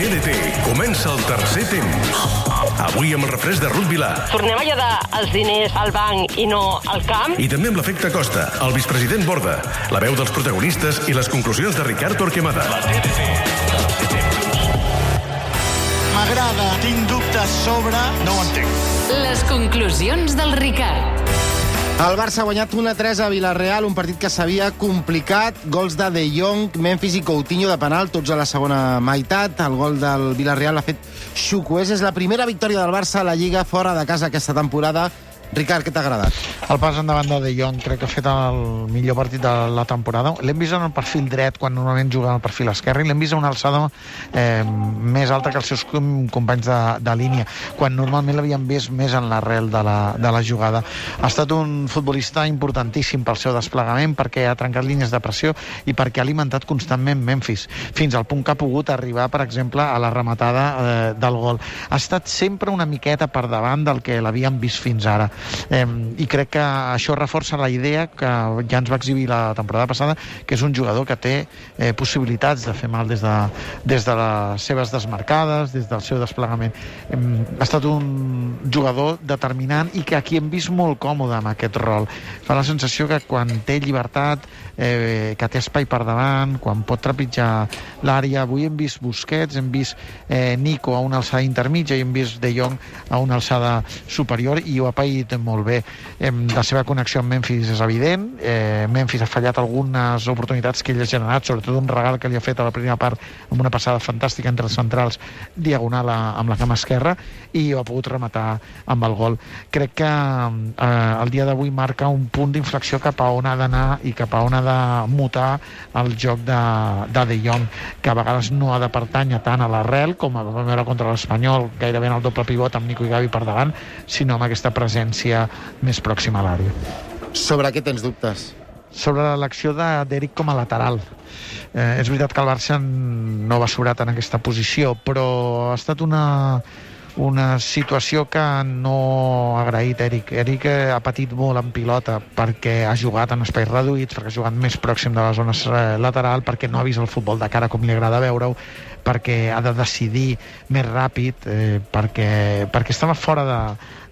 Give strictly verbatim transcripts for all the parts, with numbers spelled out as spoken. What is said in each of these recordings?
T N T comença el tercer temps. Avui amb el refresc de Ruth Vilà. Tornem a lladar els diners al banc i no al camp. I també amb l'efecte Costa, el vicepresident Borda, la veu dels protagonistes i les conclusions de Ricard Torquemada. La T N T. M'agrada, tinc dubtes sobre... No ho entenc. Les conclusions del Ricard. El Barça ha guanyat u a tres a Villarreal, un partit que s'havia complicat. Gols de De Jong, Memphis i Coutinho de penal, tots a la segona meitat. El gol del Villarreal l'ha fet Chukwueze. És la primera victòria del Barça a la Lliga fora de casa aquesta temporada. Ricard, què t'ha agradat? El pas endavant de De Jong, crec que ha fet el millor partit de la temporada. L'hem vist en el perfil dret, quan normalment juga en el perfil esquerre, i l'hem vist a una alçada eh, més alta que els seus companys de, de línia, quan normalment l'havíem vist més en l'arrel de, la, de la jugada. Ha estat un futbolista importantíssim pel seu desplegament, perquè ha trencat línies de pressió i perquè ha alimentat constantment Memphis, fins al punt que ha pogut arribar, per exemple, a la rematada eh, del gol. Ha estat sempre una miqueta per davant del que l'havíem vist fins ara. Eh, i crec que això reforça la idea que ja ens va exhibir la temporada passada, que és un jugador que té eh, possibilitats de fer mal des de, des de les seves desmarcades, des del seu desplegament. Eh, ha estat un jugador determinant i que aquí hem vist molt còmode amb aquest rol. Fa la sensació que quan té llibertat, eh, que té espai per davant, quan pot trepitjar l'àrea. Avui hem vist Busquets, hem vist eh, Nico a una alçada intermitja i hem vist De Jong a una alçada superior, i ho ha paït molt bé. Eh, la seva connexió amb Memphis és evident. Eh, Memphis ha fallat algunes oportunitats que ell ha generat, sobretot un regal que li ha fet a la primera part amb una passada fantàstica entre els centrals, diagonal a, amb la cama esquerra, i ho ha pogut rematar amb el gol. Crec que eh, el dia d'avui marca un punt d'inflexió cap a on ha d'anar i cap a on ha de mutar el joc de, de De Jong, que a vegades no ha de pertànyer tant a l'arrel, com a vam veure contra l'Espanyol, gairebé en el doble pivot amb Nico i Gavi per davant, sinó amb aquesta presència més pròxima a l'àrea. Sobre què tens dubtes? Sobre l'acció d'Eric com a lateral. Eh, és veritat que el Barça no va sobrat en aquesta posició, però ha estat una, una situació que no ha agraït Eric. Eric ha patit molt en pilota perquè ha jugat en espais reduïts, perquè ha jugat més pròxim de la zona lateral, perquè no ha vist el futbol de cara com li agrada veure-ho, perquè ha de decidir més ràpid, eh, perquè, perquè estava fora de,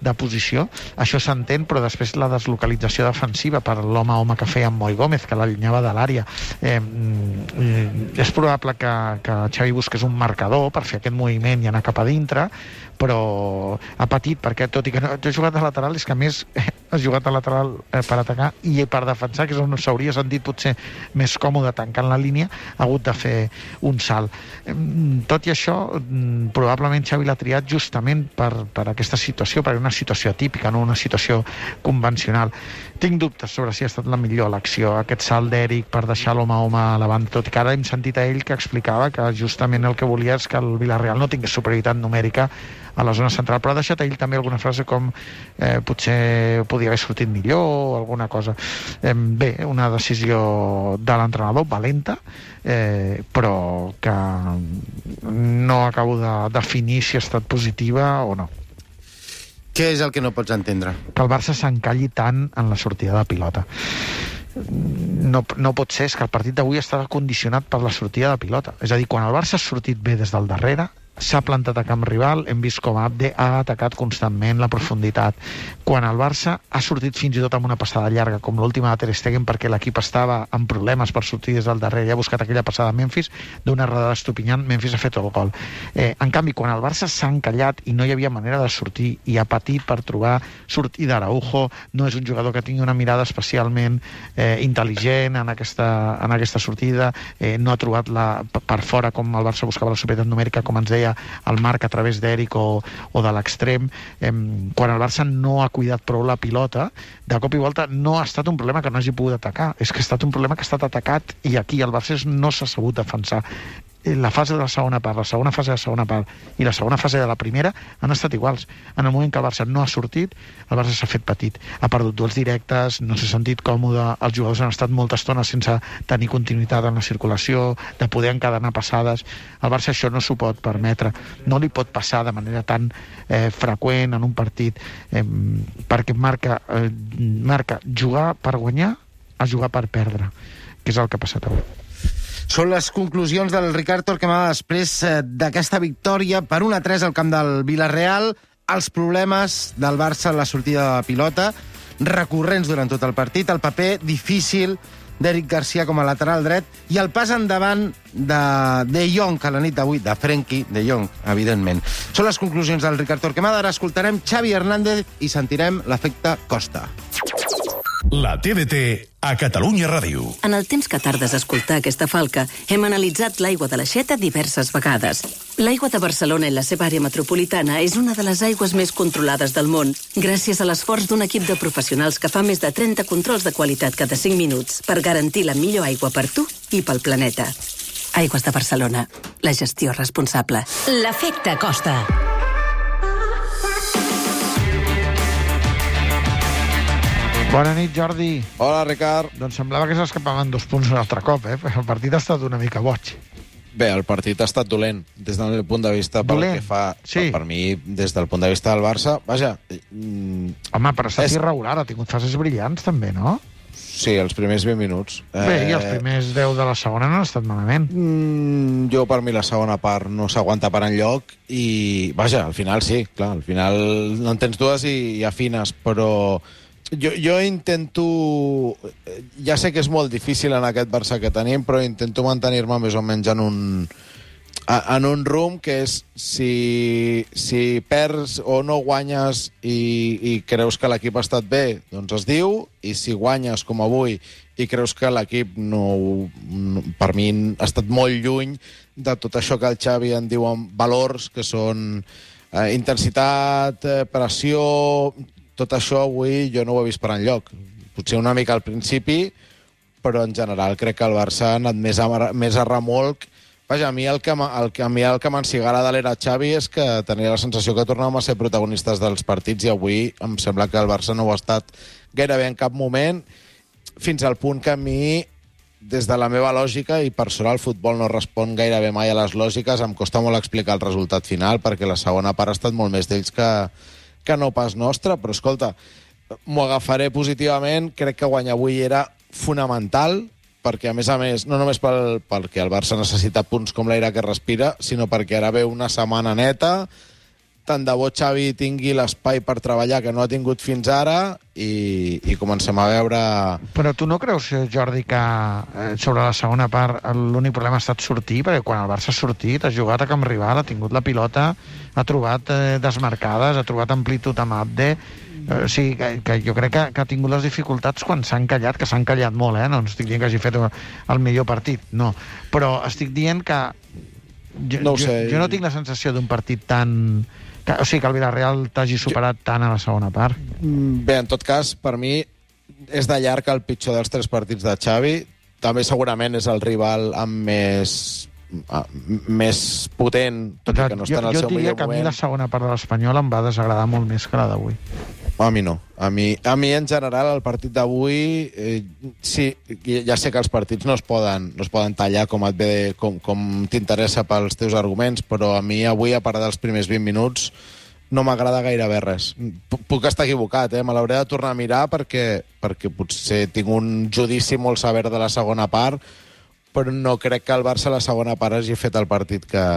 de posició. Això s'entén, però després la deslocalització defensiva per l'home a home que feia amb Moi Gómez, que l'allunyava de l'àrea. Eh, eh, és probable que, que Xavi busqués un marcador per fer aquest moviment i anar cap a dintre, però ha patit, perquè tot i que no ha jugat de lateral, és que a més eh, ha jugat de lateral eh, per atacar i per defensar, que és on s'hauria sentit potser més còmode tancant la línia, ha hagut de fer un salt. Eh, tot i això, probablement Xavi l'ha triat justament per, per aquesta situació, per una situació atípica, no una situació convencional. Tinc dubtes sobre si ha estat la millor elecció, aquest salt d'Eric per deixar l'home a home a la banda, tot i que ara hem sentit a ell que explicava que justament el que volia és que el Villarreal no tingués superioritat numèrica a la zona central, però ha deixat ell també alguna frase com eh, potser podia haver sortit millor o alguna cosa. Eh, bé, una decisió de l'entrenador valenta, eh, però que no acabo de definir si ha estat positiva o no. Què és el que no pots entendre? Que el Barça s'encalli tant en la sortida de pilota. No, no pot ser, és que el partit d'avui estava condicionat per la sortida de pilota. És a dir, quan el Barça ha sortit bé des del darrere, s'ha plantat a camp rival, hem vist com Abde ha atacat constantment la profunditat. Quan el Barça ha sortit fins i tot amb una passada llarga, com l'última de Ter Stegen, perquè l'equip estava amb problemes per sortir des del darrere i ha buscat aquella passada a Memphis, d'una errada d'Estupinyant, Memphis ha fet el gol. Eh, en canvi, quan el Barça s'ha encallat i no hi havia manera de sortir i ha patit per trobar sortida d'Araujo, no és un jugador que tingui una mirada especialment eh, intel·ligent en aquesta, en aquesta sortida, eh, no ha trobat la, per fora com el Barça buscava la superioritat numèrica, com ens deia el Marc a través d'Eric o, o de l'extrem. Eh, quan el Barça no ha cuidat prou la pilota, de cop i volta no ha estat un problema que no hagi pogut atacar, és que ha estat un problema que ha estat atacat, i aquí el Barça no s'ha sabut defensar. La fase de la segona part, la segona fase de la segona part i la segona fase de la primera han estat iguals. En el moment que el Barça no ha sortit, el Barça s'ha fet petit, ha perdut duels directes, no s'ha sentit còmode, els jugadors han estat molta estona sense tenir continuïtat en la circulació, de poder encadenar passades. El Barça això no s'ho pot permetre, no li pot passar de manera tan eh, freqüent en un partit, eh, perquè marca, eh, marca jugar per guanyar a jugar per perdre, que és el que ha passat avui. Són les conclusions del Ricard Torquemada després d'aquesta victòria per un a tres al camp del Villarreal, els problemes del Barça en la sortida de pilota, recurrents durant tot el partit, el paper difícil d'Eric Garcia com a lateral dret i el pas endavant de De Jong a la nit d'avui, de Frenkie de Jong, evidentment. Són les conclusions del Ricard Torquemada. Ara escoltarem Xavi Hernández i sentirem l'efecte Costa. La T D T a Catalunya Ràdio. En el temps que tardes a escoltar aquesta falca, hem analitzat l'aigua de l'Aixeta diverses vegades. L'aigua de Barcelona i la seva àrea metropolitana és una de les aigües més controlades del món, gràcies a l'esforç d'un equip de professionals que fa més de trenta controls de qualitat cada cinc minuts per garantir la millor aigua per tu i pel planeta. Aigües de Barcelona. La gestió responsable. L'efecte Costa. Bona nit, Jordi. Hola, Ricard. Doncs semblava que s'escapaven dos punts un altre cop, eh? El partit ha estat una mica boig. Bé, el partit ha estat dolent, des del meu punt de vista, pel Dolent? que fa... Sí. Per, per mi, des del punt de vista del Barça, vaja... Mm, Home, però ha estat És- irregular, ha tingut fases brillants, també, no? sí, els primers vint minuts. Bé, i els primers deu de la segona no han estat malament. Mm, jo, per mi, la segona part no s'aguanta per enlloc i, vaja, al final sí, clar, al final no en tens dues i, i afines, però... Jo, jo intento... Ja sé que és molt difícil en aquest Barça que tenim, però intento mantenir-me més o menys en un, en un rumb que és si, si perds o no guanyes i, i creus que l'equip ha estat bé, doncs es diu, i si guanyes com avui i creus que l'equip no, no, per mi ha estat molt lluny de tot això que el Xavi en diuen valors, que són eh, intensitat, eh, pressió... Tot això avui jo no ho he vist per enlloc. Potser una mica al principi, però en general crec que el Barça ha anat més a, més a remolc. Vaja, a mi el que, el que, a mi el que m'ensigara de l'era Xavi és que tenia la sensació que tornàvem a ser protagonistes dels partits i avui em sembla que el Barça no ho ha estat gairebé en cap moment, fins al punt que a mi, des de la meva lògica, i per sort el futbol no respon gairebé mai a les lògiques, em costa molt explicar el resultat final, perquè la segona part ha estat molt més d'ells que... que no pas nostre, però escolta, m'ho agafaré positivament, crec que guanyar avui era fonamental, perquè a més a més, no només pel, perquè el Barça necessita punts com l'aire que respira, sinó perquè ara ve una setmana neta, tant de bo Xavi tingui l'espai per treballar que no ha tingut fins ara i, i comencem a veure... Però tu no creus, Jordi, que eh, sobre la segona part l'únic problema ha estat sortir? Perquè quan el Barça ha sortit, ha jugat a camp rival, ha tingut la pilota, ha trobat eh, desmarcades, ha trobat amplitud amb Abde... Eh, o sigui, que, que jo crec que, que ha tingut les dificultats quan s'ha encallat, que s'ha encallat molt, eh? No estic dient que hagi fet el millor partit, no. Però estic dient que... Jo no, ho jo, sé. jo no tinc la sensació d'un partit tan... Que, o sigui, que el Villarreal t'hagi superat jo... tant a la segona part. Bé, en tot cas, per mi és de llarg el pitjor dels tres partits de Xavi. També segurament és el rival amb més, més potent, tot i que no està jo, en el jo seu diria millor que a mi moment. la segona part de l'Espanyol em va desagradar molt més que la d'avui. A mi no. A mi, a mi en general, el partit d'avui... Eh, sí, ja sé que els partits no es poden, no es poden tallar com, et ve, com, com t'interessa pels teus arguments, però a mi avui, a part dels primers vint minuts, no m'agrada gairebé res. P Puc estar equivocat, eh? Me l'hauré de tornar a mirar perquè, perquè potser tinc un judici molt sever de la segona part, però no crec que el Barça a la segona part hagi fet el partit que,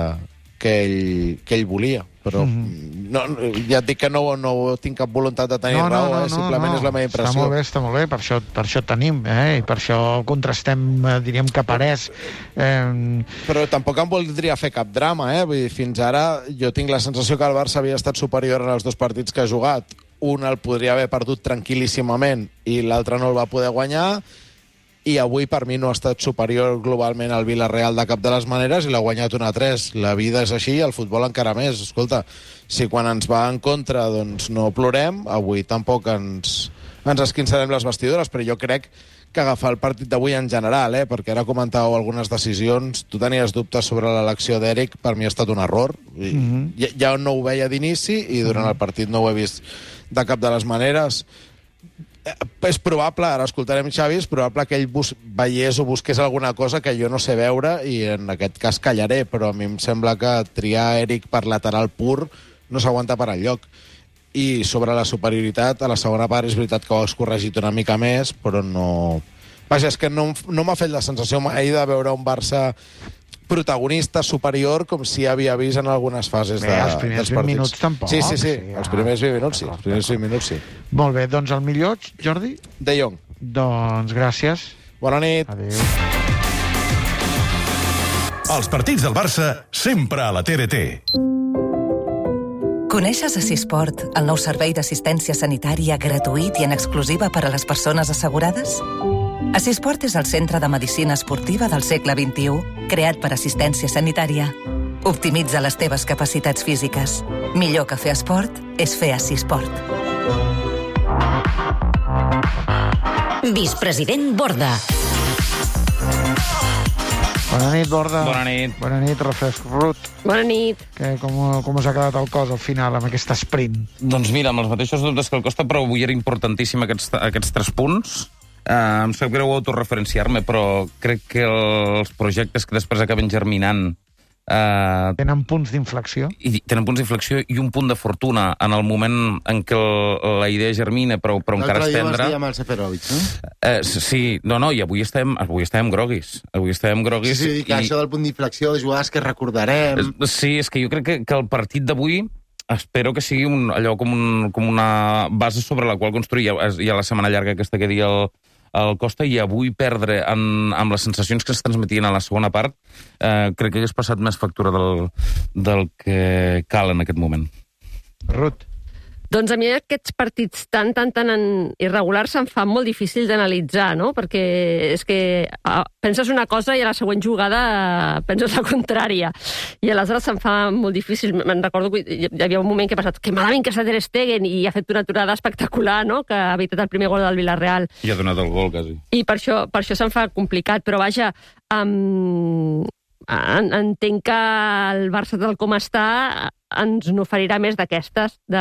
que, ell, que ell volia. Però mm-hmm. no, ja et dic que no, no tinc cap voluntat de tenir no, no, raó, no, eh? Simplement no, no. és la meva impressió. Està molt bé, està molt bé, per això, per això tenim, eh? I per això contrastem, eh, diríem que parés. Eh... Però tampoc em voldria fer cap drama, eh? Vull dir, fins ara jo tinc la sensació que el Barça havia estat superior en els dos partits que ha jugat. Un el podria haver perdut tranquil·líssimament i l'altre no el va poder guanyar, i avui per mi no ha estat superior globalment al Villarreal de cap de les maneres i l'ha guanyat un a tres. La vida és així, el futbol encara més. Escolta, si quan ens va en contra doncs no plorem, avui tampoc ens, ens esquinçarem les vestidures, però jo crec que agafar el partit d'avui en general, eh, perquè ara comentàveu algunes decisions, tu tenies dubtes sobre l'elecció d'Eric, per mi ha estat un error. Mm-hmm. ja, ja no ho veia d'inici i durant mm-hmm. el partit no ho he vist de cap de les maneres. És probable, ara escoltarem Xavi, és probable que ell bus veiés o busqués alguna cosa que jo no sé veure i en aquest cas callaré, però a mi em sembla que triar Eric per lateral pur no s'aguanta per enlloc. I sobre la superioritat, a la segona part és veritat que ho has corregit una mica més, però no, Vaja, és que no, no m'ha fet la sensació mai de veure un Barça protagonista superior com si havia vist en algunes fases de, Bé, els primers dels vint partits. minuts tampoc. Sí, sí, sí, Sí, els ah, primers vint minuts sí. Els primers vint minuts sí. Molt bé, doncs el millor, Jordi? De Jong. Doncs gràcies. Bona nit. Adéu. Els partits del Barça sempre a la T D T. Coneixes Assisport, el nou servei d'assistència sanitària gratuït i en exclusiva per a les persones assegurades? Assisport és el centre de medicina esportiva del segle vint-i-u, creat per assistència sanitària. Optimitza les teves capacitats físiques. Millor que fer esport és fer Assisport. Vicepresident Borda. Bona nit, Borda. Bona nit. Bona nit, Refresc Rut. Bona nit. Que, com, com us ha quedat el cos al final amb aquest sprint? Doncs mira, amb els mateixos dubtes que el Costa, però avui era importantíssim aquests, aquests tres punts. Uh, em sap greu autorreferenciar-me, però crec que els projectes que després acaben germinant uh, tenen punts d'inflexió. I tenen punts d'inflexió i un punt de fortuna en el moment en què el, la idea germina, però, però encara és tendra. L'altre dia vas dir amb el Seferovic, no? Uh, sí, no, no, i avui estem, avui estem groguis. Avui estem groguis. Sí, sí, que i... això del punt d'inflexió, de jugades que recordarem... Sí, és que jo crec que, que el partit d'avui espero que sigui un, allò com, un, com una base sobre la qual construir. Hi ha, hi ha la setmana llarga aquesta que dia el, el Costa, i avui perdre en, amb les sensacions que es transmetien a la segona part, eh, crec que hagués passat més factura del, del que cal en aquest moment. Ruth. Doncs a mi aquests partits tan, tan, tan irregulars se'm fa molt difícil d'analitzar, no? Perquè és que ah, penses una cosa i a la següent jugada penses la contrària. I aleshores se'm fa molt difícil. Me'n recordo que hi havia un moment que he pensat que malament que s'ha Ter Stegen i ha fet una aturada espectacular, no? Que ha evitat el primer gol del Villarreal. I ha donat el gol, quasi. I per això, per això se'm fa complicat. Però vaja, um, entenc que el Barça tal com està ens n'oferirà més d'aquestes, de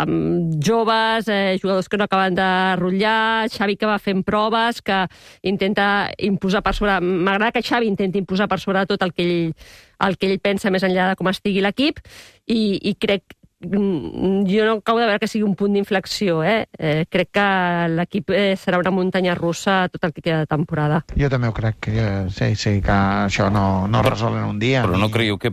um, joves, eh, jugadors que no acaben de rotllar, Xavi que va fent proves, que intenta imposar per sobre... M'agrada que Xavi intenti imposar per sobre tot el que ell, el que ell pensa més enllà de com estigui l'equip, i, i crec jo no acabo de veure que sigui un punt d'inflexió, eh? eh crec que l'equip eh, serà una muntanya russa tot el que queda de temporada. Jo també ho crec, que, sí, sí, que això no, no es resol en un dia. Però no creieu que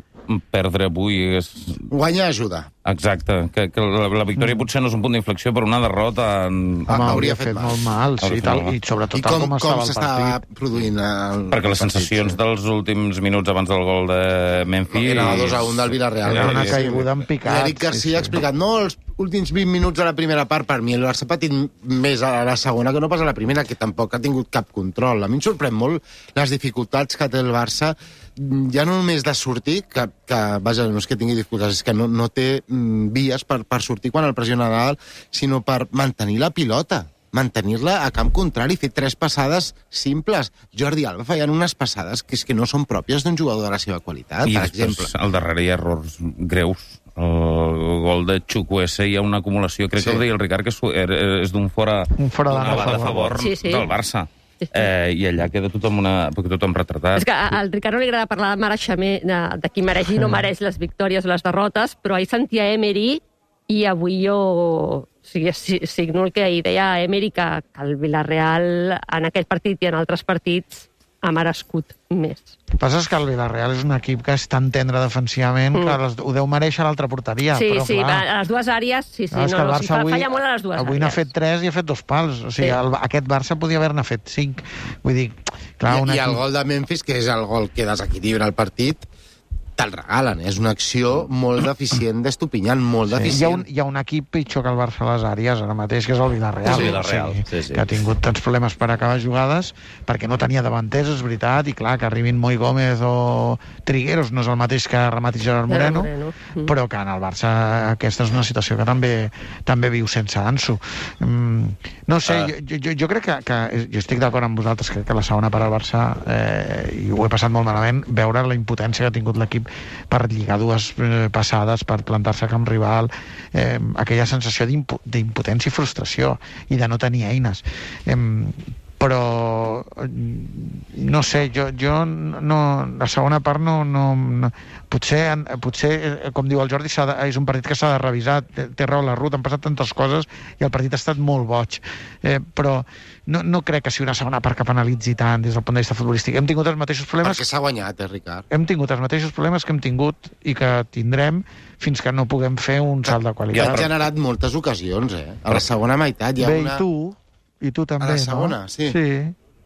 perdre avui és... Guanya ajuda. Exacte, que, que la, la victòria mm. potser no és un punt d'inflexió, però una derrota... En... Home, hauria fet, fet mal. molt mal, sí, i, tal, i sobretot I com, com, com estava el partit. Produint el Perquè les partit, sensacions sí. dels últims minuts abans del gol de Memphis... Era dos a un del Villarreal. Era una caiguda en picat. L'Eric Garcia sí, sí. ha explicat, no, els últims vint minuts de la primera part, per mi el Barça ha patit més a la segona que no pas a la primera, que tampoc ha tingut cap control. A mi em sorprèn molt les dificultats que té el Barça, ja no només de sortir, que, que vaja, no és que tingui dificultats, és que no, no té mm, vies per, per sortir quan el pressiona dalt, sinó per mantenir la pilota, mantenir-la a camp contrari, fer tres passades simples. Jordi Alba fallant unes passades que és que no són pròpies d'un jugador de la seva qualitat, I per després, exemple. al darrere hi ha errors greus. El gol de Chukwueze hi ha una acumulació, crec sí. que el deia el Ricard, que és, és d'un fora, un fora de, de favor, favor sí, sí. del Barça. Eh, I allà queda tothom, una, tothom retratat. És que al Ricard no li agrada parlar de mereixement, de, de qui mereix i no mereix les victòries o les derrotes, però ahir sentia Emery i avui jo o sigui, signo el que ahir deia Emery, que, que el Villarreal en aquell partit i en altres partits ha merescut més. El que passa és que el Villarreal és un equip que és tan tendre defensivament mm. que les, ho deu mereixer a l'altra porteria. Sí, però, sí, clar, a les dues àrees, sí, sí, no, no, no, no, si fa, avui, falla molt a les dues avui àrees. Avui n'ha fet tres i ha fet dos pals. O sigui, sí. el, aquest Barça podia haver-ne fet cinc. Vull dir, clar, I, un I equip... el gol de Memphis, que és el gol que desequilibra el partit, te'l regalen. És una acció molt deficient d'Estupinyán, molt sí. deficient. Hi ha, un, hi ha un equip pitjor que el Barça a les àrees ara mateix, que és el Villarreal. Sí, Villarreal. Sí, sí, sí. Que ha tingut tants problemes per acabar jugades, perquè no tenia davanters, és veritat, i clar, que arribin Moi Gómez o Trigueros no és el mateix que remati Gerard Moreno, Moreno. Mm. però que en el Barça aquesta és una situació que també també viu sense Ansu. Mm, no sé, uh. jo, jo, jo crec que, que jo estic d'acord amb vosaltres, crec que la segona part al Barça, eh, i ho he passat molt malament, veure la impotència que ha tingut l'equip per lligar dues eh, passades, per plantar-se a camp rival, eh, aquella sensació d'impotència i frustració, i de no tenir eines. Eh, però no sé, jo, jo no, la segona part no, no, no potser, potser, com diu el Jordi, de, és un partit que s'ha de revisar, té, té raó la Ruth, han passat tantes coses i el partit ha estat molt boig, eh, però no, no crec que sigui una segona part que penalitzi tant des del punt de vista futbolístic. Hem tingut els mateixos problemes... Perquè s'ha guanyat, eh, Ricard? Hem tingut els mateixos problemes que hem tingut i que tindrem fins que no puguem fer un salt de qualitat. Ha generat moltes ocasions, eh? A la segona meitat hi ha Bé, una... i tu, i tu també, no? A la segona, no? sí. Sí.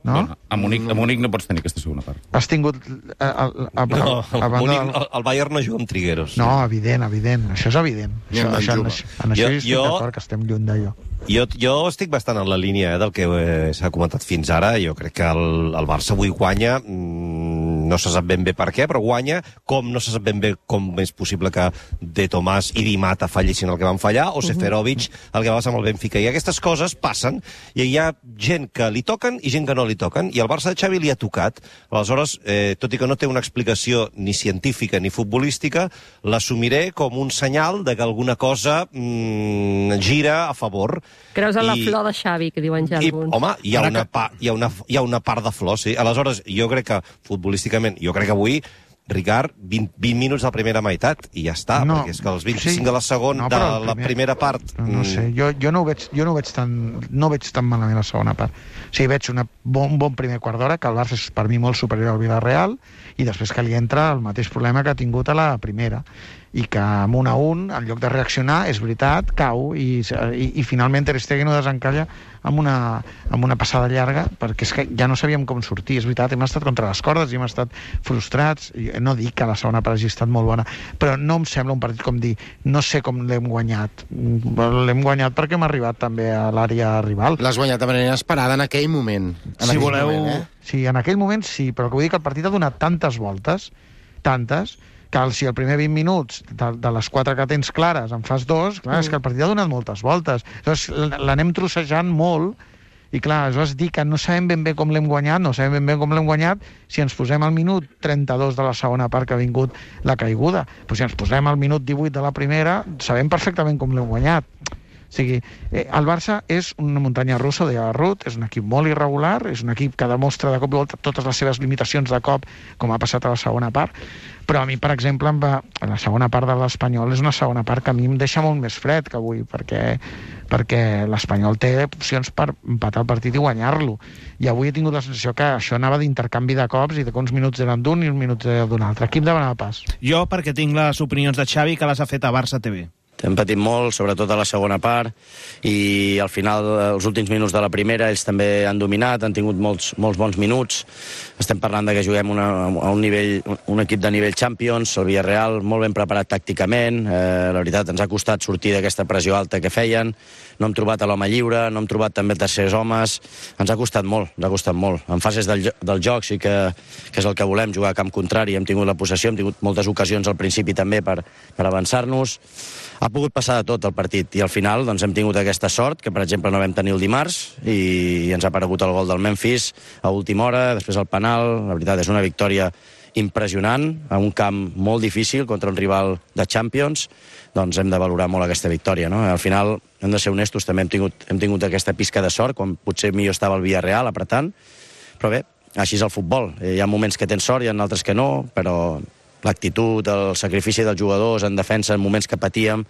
No? Bueno, a, Munic, a Munic no pots tenir aquesta segona part. Has tingut... A, a, a, no, a, a Munic, del... el, el Bayern no juga amb Trigueros. No, evident, evident. Això és evident. Això, això, en, en això jo, estic jo... d'acord, que estem lluny d'allò. Jo, jo estic bastant en la línia eh, del que eh, s'ha comentat fins ara. Jo crec que el, el Barça avui guanya, mm, no se sap ben bé per què, però guanya, com no se sap ben bé com és possible que De Tomàs i Di Mata fallissin el que van fallar, o Seferovic el que va passar amb el Benfica. I aquestes coses passen, i hi ha gent que li toquen i gent que no li toquen, i el Barça de Xavi li ha tocat. Aleshores, eh, tot i que no té una explicació ni científica ni futbolística, l'assumiré com un senyal de que alguna cosa mm, gira a favor. Creus en la I, flor de Xavi, que diuen ja alguns. I, home, hi ha, una pa, hi, ha una, hi ha una part de flor, sí. Aleshores, jo crec que, futbolísticament, jo crec que avui, Ricard, vint, vint minuts de la primera meitat, i ja està, no, perquè és que els vint-i-cinc sí, de la segona, no, de primer, la primera part... No, no sé, jo, jo, no ho veig, jo no ho veig tan, no veig tan malament la segona part. O sigui, veig una bon, un bon primer quart d'hora, que el Barça és per mi molt superior al Villarreal, i després que li entra el mateix problema que ha tingut a la primera, i que amb un a un, en lloc de reaccionar, és veritat, cau, i, i, i finalment Ter Stegen ho desencalla amb una, amb una passada llarga, perquè és que ja no sabíem com sortir. És veritat, hem estat contra les cordes i hem estat frustrats. No dic que la segona part hagi estat molt bona, però no em sembla un partit com dir, no sé com l'hem guanyat. L'hem guanyat perquè hem arribat també a l'àrea rival. L'has guanyat de manera esperada en aquell moment. En si aquell voleu... moment, eh? Sí, en aquell moment sí, però que vull dir que el partit ha donat tantes voltes, tantes, que si el primer vint minuts de, de les quatre que tens clares en fas dos, clar, mm. és que el partit ha donat moltes voltes. Llavors l'anem trossejant molt, i clar, aleshores dir que no sabem ben bé com l'hem guanyat, no sabem ben bé com l'hem guanyat, si ens posem al minut trenta-dos de la segona part que ha vingut la caiguda. Però si ens posem al minut divuit de la primera, sabem perfectament com l'hem guanyat. O sigui, eh, el Barça és una muntanya russa, deia Ruth, és un equip molt irregular, és un equip que demostra de cop i volta totes les seves limitacions de cop, com ha passat a la segona part, però a mi, per exemple, em va, la segona part de l'Espanyol és una segona part que a mi em deixa molt més fred que avui, perquè, perquè l'Espanyol té opcions per empatar el partit i guanyar-lo. I avui he tingut la sensació que això anava d'intercanvi de cops i de que uns minuts eren d'un i uns minuts eren d'un altre. Qui em demanava pas? Jo, perquè tinc les opinions de Xavi que les ha fet a Barça T V. Hem patit molt, sobretot a la segona part, i al final, els últims minuts de la primera, ells també han dominat, han tingut molts, molts bons minuts. Estem parlant de que juguem una, a un, nivell, un equip de nivell Champions, el Villarreal molt ben preparat tàcticament, eh, la veritat ens ha costat sortir d'aquesta pressió alta que feien, no hem trobat a l'home lliure, no hem trobat també tercers homes, ens ha costat molt, ens ha costat molt. En fases del, del joc sí que, que és el que volem, jugar a camp contrari, hem tingut la possessió, hem tingut moltes ocasions al principi també per, per avançar-nos. Ha pogut passar de tot el partit, i al final doncs, hem tingut aquesta sort, que per exemple no vam tenir el dimarts, i ens ha aparegut el gol del Memphis a última hora, després el penal. La veritat, és una victòria impressionant, a un camp molt difícil contra un rival de Champions. Doncs hem de valorar molt aquesta victòria, no? Al final, hem de ser honestos, també hem tingut, hem tingut aquesta pizca de sort, quan potser millor estava el Villarreal apretant, però bé, així és el futbol. Hi ha moments que tens sort, hi ha altres que no, però l'actitud, el sacrifici dels jugadors en defensa en moments que patíem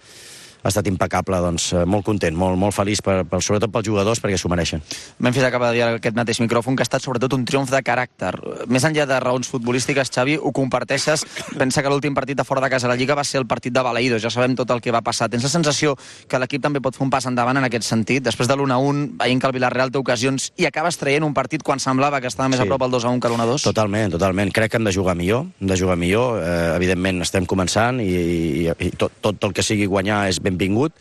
ha estat impecable, doncs molt content, molt, molt feliç, per, per, sobretot pels jugadors, perquè s'ho mereixen. Memphis acaba de dir aquest mateix micròfon que ha estat sobretot un triomf de caràcter. Més enllà de raons futbolístiques, Xavi, ho comparteixes? Pensa que l'últim partit de fora de casa de la Lliga va ser el partit de Balaïdos, ja sabem tot el que va passar. Tens la sensació que l'equip també pot fer un pas endavant en aquest sentit? Després de l'u a un, veient que el Villarreal té ocasions i acabes traient un partit quan semblava que estava més sí. a prop el dos a un que l'u a dos? Totalment, totalment. Crec que hem de jugar millor, hem de jugar millor. Eh, evidentment estem començant i, i, i tot, tot el que sigui guanyar és benvingut,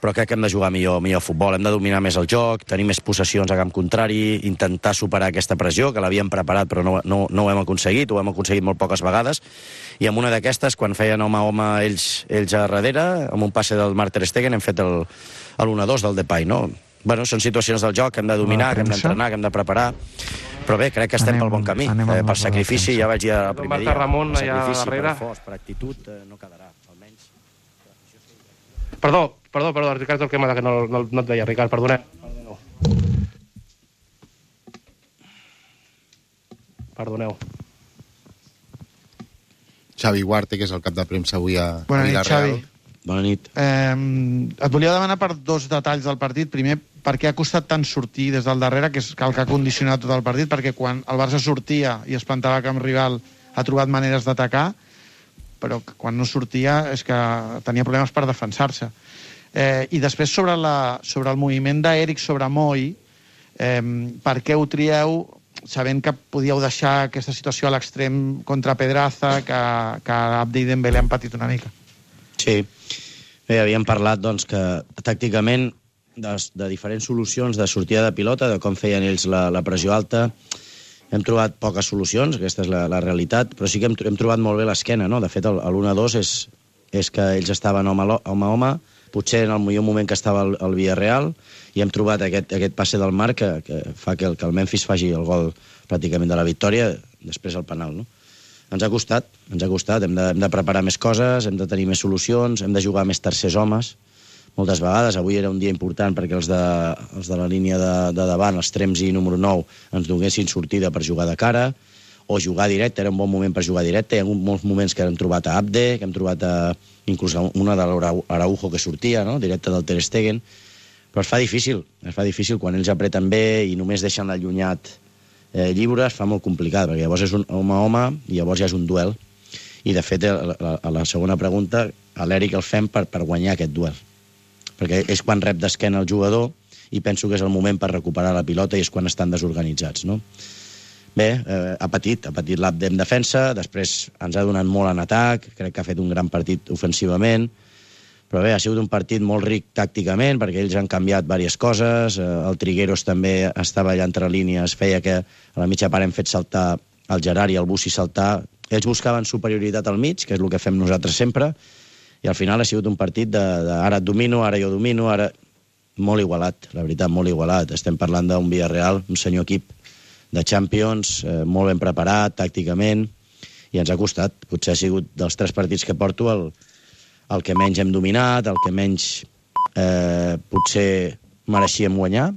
però crec que hem de jugar millor, millor futbol, hem de dominar més el joc, tenir més possessions a camp contrari, intentar superar aquesta pressió, que l'havíem preparat però no, no, no ho hem aconseguit, ho hem aconseguit molt poques vegades, i amb una d'aquestes, quan feien home a home ells, ells a darrere, amb un passe del Marc Ter Stegen, hem fet el, l'u a dos del Depay, no? Bueno, són situacions del joc que hem de dominar, que hem d'entrenar, que hem de preparar, però bé, crec que estem anem, pel bon camí, eh, per sacrifici, ja vaig dir el primer dia, Ramon, per sacrifici, per esforç, per actitud, eh, no quedarà, almenys. Perdó, perdó, perdó, Ricard Torquemada, que no, no, no et veia, Ricard, perdonem. Perdoneu. Xavi Huarte, que és el cap de premsa avui a, Bona a nit, Vilareal. Xavi. Bona nit. Eh, et volia demanar per dos detalls del partit. Primer, per què ha costat tant sortir des del darrere, que és el que ha condicionat tot el partit, perquè quan el Barça sortia i es plantava a camp rival ha trobat maneres d'atacar, però quan no sortia és que tenia problemes per defensar-se. Eh, I després sobre, la, sobre el moviment d'Eric sobre Moi, eh, per què ho trieu sabent que podíeu deixar aquesta situació a l'extrem contra Pedraza, que, que Abde i Dembélé han patit una mica? Sí. Bé, havíem parlat doncs, que tàcticament de, de diferents solucions de sortida de pilota, de com feien ells la, la pressió alta, hem trobat poques solucions, aquesta és la, la realitat, però sí que hem, hem trobat molt bé l'esquena, no? De fet, l'u a dos és, és que ells estaven home a home, home, potser en el millor moment que estava el, el Villarreal, i hem trobat aquest, aquest passe del Marc que, que fa que el, que el Memphis faci el gol pràcticament de la victòria, després el penal, no? Ens ha costat, ens ha costat, hem de, hem de preparar més coses, hem de tenir més solucions, hem de jugar més tercers homes, moltes vegades. Avui era un dia important perquè els de, els de la línia de, de davant, els Trems i número nou, ens donessin sortida per jugar de cara, o jugar directe, era un bon moment per jugar directe. Hi ha hagut molts moments que hem trobat a Abde, que hem trobat a, inclús una de l'Araujo que sortia, no? Directe del Ter Stegen, però es fa difícil, es fa difícil quan ells apreten bé i només deixen l'allunyat eh, lliure, es fa molt complicat, perquè llavors és un home a home i llavors ja és un duel. I de fet, a la, a la segona pregunta, a l'Eric el fem per, per guanyar aquest duel, perquè és quan rep d'esquena el jugador i penso que és el moment per recuperar la pilota i és quan estan desorganitzats, no? Bé, eh, ha patit, ha patit l'Abde en defensa, després ens ha donat molt en atac, crec que ha fet un gran partit ofensivament, però bé, ha sigut un partit molt ric tàcticament, perquè ells han canviat diverses coses, eh, el Trigueros també estava allà entre línies, feia que a la mitja part hem fet saltar el Gerard i el Bussi saltar, ells buscaven superioritat al mig, que és el que fem nosaltres sempre, i al final ha sigut un partit de, de ara et domino, ara jo domino, ara molt igualat, la veritat, molt igualat. Estem parlant d'un Villarreal, un senyor equip de Champions, eh, molt ben preparat tàcticament, i ens ha costat. Potser ha sigut dels tres partits que porto el, el que menys hem dominat, el que menys eh, potser mereixíem guanyar,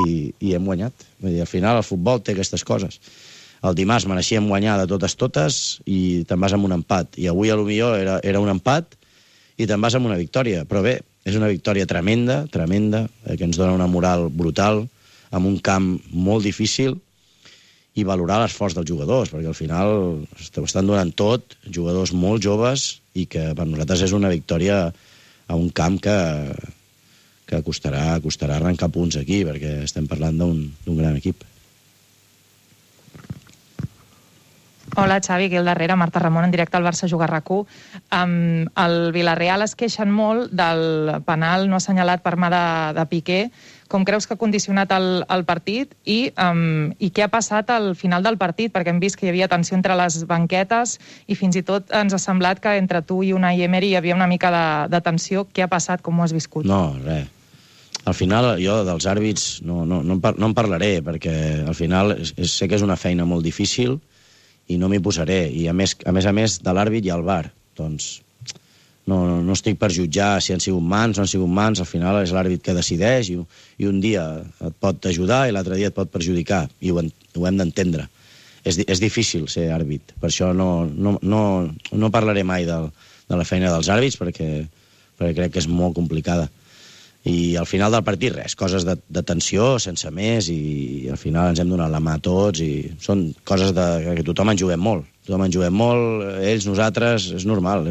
i, i hem guanyat. Vull dir, al final el futbol té aquestes coses. El dimarts mereixíem guanyar de totes totes i te'n vas amb un empat. I avui, a lo millor, era, era un empat i te'n vas amb una victòria. Però bé, és una victòria tremenda, tremenda, eh, que ens dona una moral brutal, amb un camp molt difícil, i valorar l'esforç dels jugadors, perquè al final ho estan donant tot, jugadors molt joves, i que per nosaltres és una victòria a un camp que, que costarà, costarà arrencar punts aquí, perquè estem parlant d'un gran equip. Hola, Xavi, aquí al darrere, Marta Ramon, en directe al Barça Juga RAC u. Um, el Villarreal es queixen molt del penal no assenyalat per mà de, de Piqué. Com creus que ha condicionat el, el partit i, um, i què ha passat al final del partit? Perquè hem vist que hi havia tensió entre les banquetes i fins i tot ens ha semblat que entre tu i Unai Emery hi havia una mica de, de tensió. Què ha passat? Com ho has viscut? No, res. Al final, jo dels àrbits no, no, no, en, par no en parlaré, perquè al final és, sé que és una feina molt difícil i no m'hi posaré. I a més, a més a més, de l'àrbit hi ha el V A R. Doncs no, no, no estic per jutjar si han sigut mans o no han sigut mans. Al final és l'àrbit que decideix i, i un dia et pot ajudar i l'altre dia et pot perjudicar. I ho, ho hem d'entendre. És, és difícil ser àrbit. Per això no, no, no, no parlaré mai del, de la feina dels àrbits, perquè, perquè crec que és molt complicada. I al final del partit, res, coses de, de tensió, sense més, i al final ens hem donat la mà a tots, i són coses de, que tothom en juguem molt. Tothom en juguem molt, ells, nosaltres, és normal.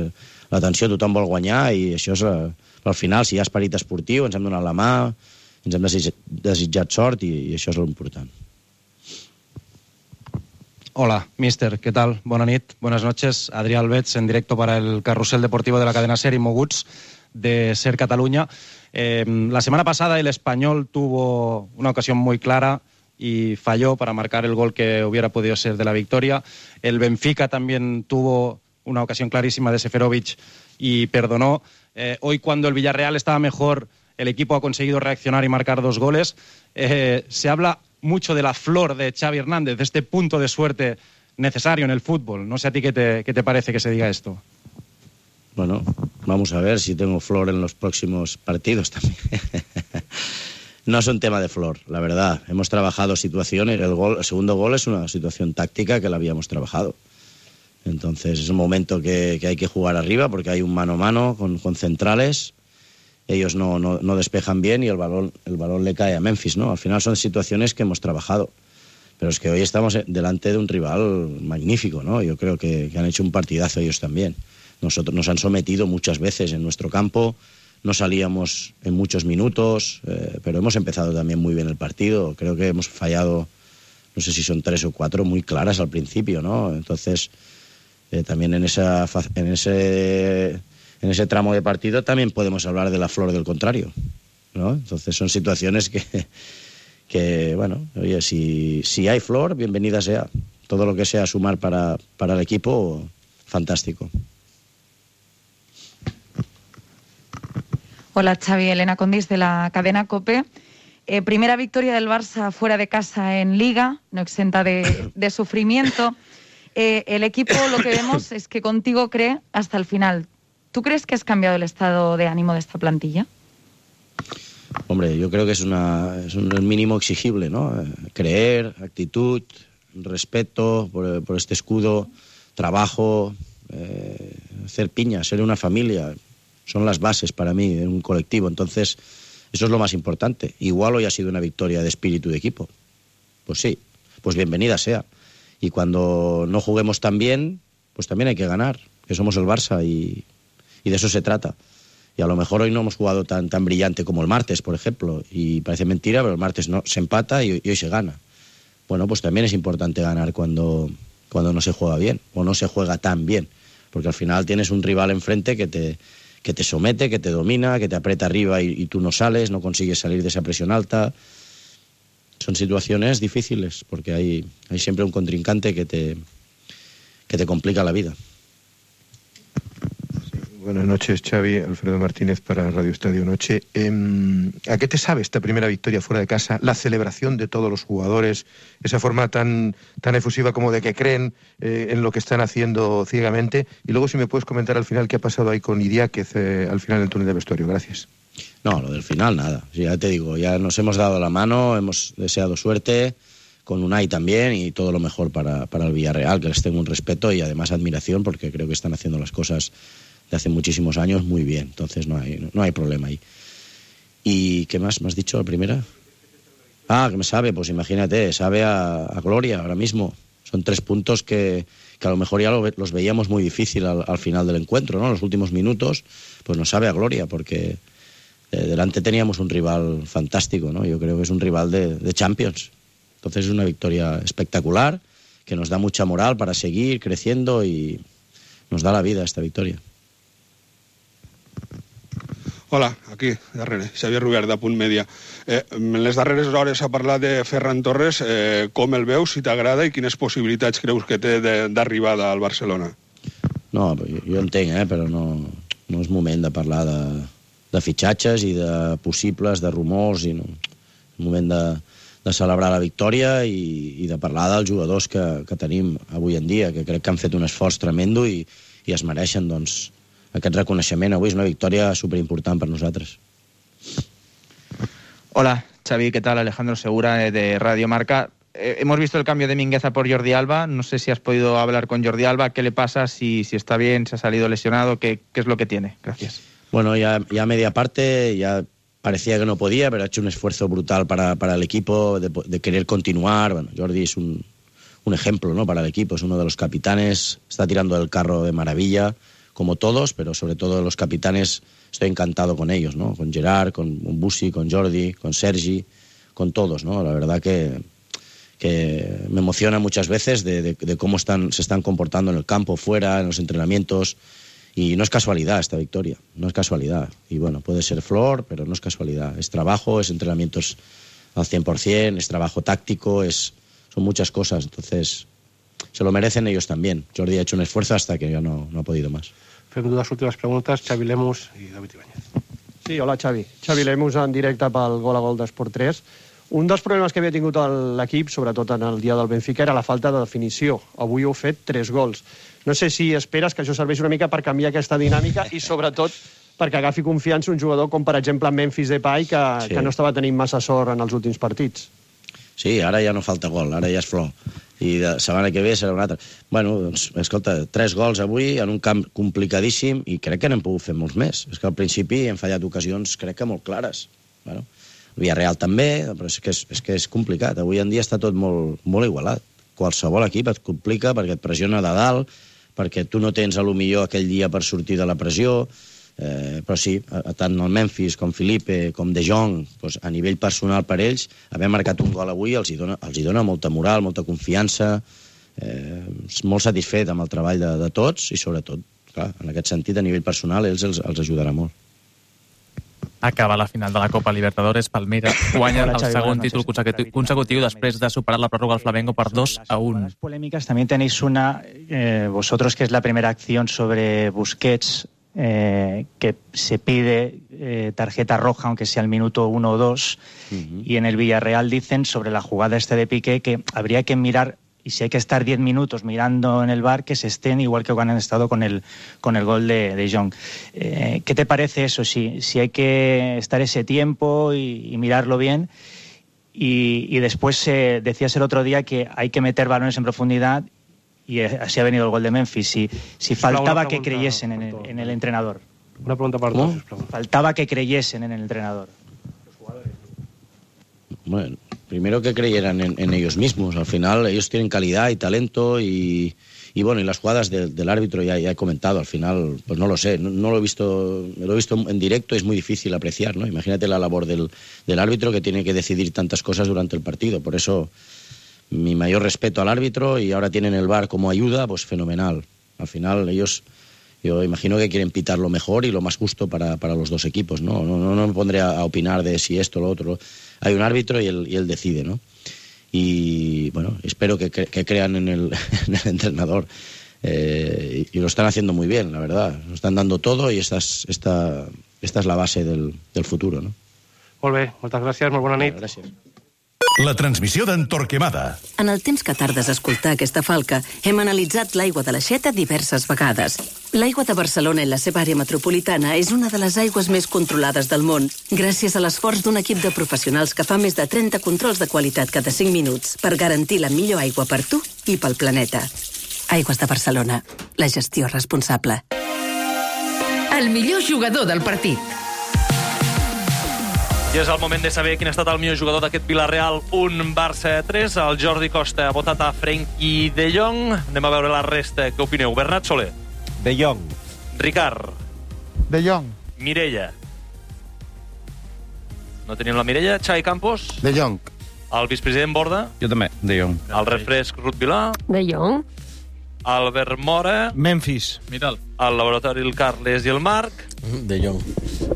La tensió tothom vol guanyar, i això és... Però al final, si hi ha esperit esportiu, ens hem donat la mà, ens hem desitjat, desitjat sort, i, i això és l'important. Hola, mister, ¿qué tal? Buenas nit, buenas noches. Adrià Albets, en directo para el Carrusel Deportivo de la cadena SER y Moguts de SER Cataluña. Eh, la semana pasada el Español tuvo una ocasión muy clara y falló para marcar el gol que hubiera podido ser de la victoria. El Benfica también tuvo una ocasión clarísima de Seferovic y perdonó. Eh, hoy, cuando el Villarreal estaba mejor, el equipo ha conseguido reaccionar y marcar dos goles. Eh, se habla mucho de la flor de Xavi Hernández, de este punto de suerte necesario en el fútbol. No sé a ti qué te, qué te parece que se diga esto. Bueno, vamos a ver si tengo flor en los próximos partidos también. No es un tema de Flor, la verdad. Hemos trabajado situaciones. El, gol, el segundo gol es una situación táctica que la habíamos trabajado. Entonces es un momento que, que hay que jugar arriba porque hay un mano a mano con, con centrales. Ellos no, no, no despejan bien y el balón, el balón le cae a Memphis, ¿no? Al final son situaciones que hemos trabajado. Pero es que hoy estamos delante de un rival magnífico, ¿no? Yo creo que, que han hecho un partidazo ellos también. Nosotros nos han sometido muchas veces en nuestro campo. No salíamos en muchos minutos, eh, pero hemos empezado también muy bien el partido. Creo que hemos fallado, no sé si son tres o cuatro, muy claras al principio, ¿no? Entonces, eh, también en, esa, en, ese, en ese tramo de partido también podemos hablar de la Flor del contrario, ¿no? Entonces son situaciones que, que bueno, oye, si, si hay Flor, bienvenida sea. Todo lo que sea sumar para, para el equipo, fantástico. Hola, Xavi. Elena Condis, de la cadena COPE. Eh, primera victoria del Barça fuera de casa en Liga, no exenta de, de sufrimiento. Eh, el equipo, lo que vemos es que contigo cree hasta el final. ¿Tú crees que has cambiado el estado de ánimo de esta plantilla? Hombre, yo creo que es, una, es un mínimo exigible, ¿no? Creer, actitud, respeto por, por este escudo, trabajo, eh, hacer piña, ser una familia. Son las bases para mí de un colectivo. Entonces, eso es lo más importante. Igual hoy ha sido una victoria de espíritu de equipo. Pues sí, pues bienvenida sea. Y cuando no juguemos tan bien, pues también hay que ganar, que somos el Barça y, y de eso se trata. Y a lo mejor hoy no hemos jugado tan, tan brillante como el martes, por ejemplo, y parece mentira, pero el martes no, se empata y, y hoy se gana. Bueno, pues también es importante ganar cuando, cuando no se juega bien, o no se juega tan bien, porque al final tienes un rival enfrente que te... que te somete, que te domina, que te aprieta arriba y, y tú no sales, no consigues salir de esa presión alta. Son situaciones difíciles, porque hay, hay siempre un contrincante que te, que te complica la vida. Buenas noches, Xavi. Alfredo Martínez para Radio Estadio Noche. Eh, ¿A qué te sabe esta primera victoria fuera de casa? La celebración de todos los jugadores, esa forma tan, tan efusiva como de que creen eh, en lo que están haciendo ciegamente. Y luego si me puedes comentar al final qué ha pasado ahí con Idiáquez eh, al final del túnel de vestuario. Gracias. No, lo del final nada. Ya te digo, ya nos hemos dado la mano, hemos deseado suerte, con Unai también, y todo lo mejor para, para el Villarreal, que les tengo un respeto y además admiración, porque creo que están haciendo las cosas de hace muchísimos años muy bien, entonces no hay, no hay problema ahí. ¿Y qué más me has dicho la primera? Ah, que me sabe, pues imagínate, sabe a, a gloria ahora mismo. Son tres puntos que, que a lo mejor ya lo, los veíamos muy difícil al, al final del encuentro, ¿no? En los últimos minutos, pues nos sabe a gloria, porque eh, delante teníamos un rival fantástico, ¿no? Yo creo que es un rival de, de Champions. Entonces es una victoria espectacular, que nos da mucha moral para seguir creciendo y nos da la vida esta victoria. Hola, aquí, darrere, Xavier Rubert, de Punt Mèdia. Eh, en les darreres hores ha parlat de Ferran Torres. Eh, com el veus, si t'agrada, i quines possibilitats creus que té d'arribada al Barcelona? No, jo entenc, eh, però no, no és moment de parlar de, de fitxatges i de possibles, de rumors, i no. És moment de, de celebrar la victòria i, i de parlar dels jugadors que, que tenim avui en dia, que crec que han fet un esforç tremendo i, i es mereixen, doncs, aquest reconeixement. Avui és una victòria superimportant per nosaltres. Hola, Xavi, ¿qué tal? Alejandro Segura, de Radio Marca. Eh, hemos visto el cambio de Mingueza por Jordi Alba. No sé si has podido hablar con Jordi Alba. ¿Qué le pasa? Si, si está bien, si ha salido lesionado, ¿qué, qué es lo que tiene? Gracias. Bueno, ya, ya media parte, ya parecía que no podía, pero ha hecho un esfuerzo brutal para, para el equipo, de, de querer continuar. Bueno, Jordi es un, un ejemplo, ¿no?, para el equipo, es uno de los capitanes, está tirando el carro de maravilla, como todos, pero sobre todo los capitanes, estoy encantado con ellos, ¿no? Con Gerard, con Busi, con Jordi, con Sergi, con todos, ¿no? La verdad que, que me emociona muchas veces de, de, de cómo están, se están comportando en el campo, fuera, en los entrenamientos, y no es casualidad esta victoria, no es casualidad. Y bueno, puede ser flor, pero no es casualidad. Es trabajo, es entrenamientos al cien por cien, es trabajo táctico, es, son muchas cosas, entonces se lo merecen ellos también. Jordi ha hecho un esfuerzo hasta que ya no, no ha podido más. Fem dues últimes preguntes, Xavi Lemus i David Ibáñez. Sí, hola Xavi. Xavi Lemus en directe pel Gol a Gol d'Esport tres. Un dels problemes que havia tingut l'equip, sobretot en el dia del Benfica, era la falta de definició. Avui heu fet tres gols. No sé si esperes que això serveix una mica per canviar aquesta dinàmica i, sobretot, perquè agafi confiança un jugador com, per exemple, Memphis Depay, que, Sí. que no estava tenint massa sort en els últims partits. Sí, ara ja no falta gol, ara ja és flor. I de setmana que ve serà un altre. Bueno, doncs, escolta, tres gols avui en un camp complicadíssim i crec que n'hem pogut fer molts més. És que al principi hem fallat ocasions, crec que molt clares. Bueno, el Villarreal també, però és que és, és que és complicat. Avui en dia està tot molt, molt igualat. Qualsevol equip et complica perquè et pressiona de dalt, perquè tu no tens a lo millor aquell dia per sortir de la pressió. Eh, però sí, tant el Memphis com Felipe, com De Jong, doncs, a nivell personal per ells, haver marcat un gol avui els hi dona, els hi dona molta moral, molta confiança, eh, molt satisfet amb el treball de, de tots i sobretot, clar, en aquest sentit, a nivell personal, ells els, els ajudarà molt. Acaba la final de la Copa Libertadores, Palmeiras guanya Hola, el Xavi, segon buenas títol noches. consecutiu, consecutiu després de superar la pròrroga al Flamengo per dos a uno. Polémicas, también tenéis una, eh, vosotros, que es la primera acción sobre Busquets, eh, que se pide eh, tarjeta roja, aunque sea al minuto uno o dos, uh-huh. Y en el Villarreal dicen sobre la jugada este de Piqué que habría que mirar, y si hay que estar diez minutos mirando en el V A R, que se estén igual que cuando han estado con el, con el gol de, de Jong. Eh, ¿Qué te parece eso? Si, si hay que estar ese tiempo y, y mirarlo bien. Y, y después eh, decías el otro día que hay que meter balones en profundidad, y así ha venido el gol de Memphis. Si, si faltaba que creyesen en el, en el entrenador. Una pregunta per dos, sisplau. Faltaba que creyesen en el entrenador. Bueno, primero que creyeran en, en ellos mismos. Al final ellos tienen calidad y talento y, y bueno, y las jugadas de, del árbitro ya, ya he comentado. Al final, pues no lo sé, no, no lo he visto, lo he visto en directo, es muy difícil apreciar, ¿no? Imagínate la labor del, del árbitro, que tiene que decidir tantas cosas durante el partido. Por eso, mi mayor respeto al árbitro, y ahora tienen el V A R como ayuda, pues fenomenal. Al final ellos, yo imagino que quieren pitar lo mejor y lo más justo para, para los dos equipos, ¿no? No, no, no me pondré a, a opinar de si esto o lo otro. Hay un árbitro y él, y él decide, ¿no? Y bueno, espero que, cre que crean en el, en el entrenador. Eh, y, y lo están haciendo muy bien, la verdad. Lo están dando todo y esta es, esta, esta es la base del, del futuro, ¿no? Molt bé, moltes gràcies, molt bona nit. Gràcies. La transmissió d'en Torquemada. En el temps que tardes a escoltar aquesta falca, hem analitzat l'aigua de l'Aixeta diverses vegades. L'aigua de Barcelona i la seva àrea metropolitana és una de les aigües més controlades del món, gràcies a l'esforç d'un equip de professionals que fa més de trenta controls de qualitat cada cinc minuts per garantir la millor aigua per tu i pel planeta. Aigües de Barcelona. La gestió responsable. El millor jugador del partit. I és el moment de saber quin ha estat el millor jugador d'aquest Villarreal un Barça tres. El Jordi Costa ha votat a Frenkie de Jong. Anem a veure la resta. Què opineu? Bernat Soler. De Jong. Ricard. De Jong. Mireia. No tenim la Mireia. Xavi Campos. De Jong. El vicepresident Borda. Jo també, De Jong. El refresc Ruth Vilà. De Jong. Albert Mora. Memphis, mira'l. El laboratori el Carles i el Marc. De Jong.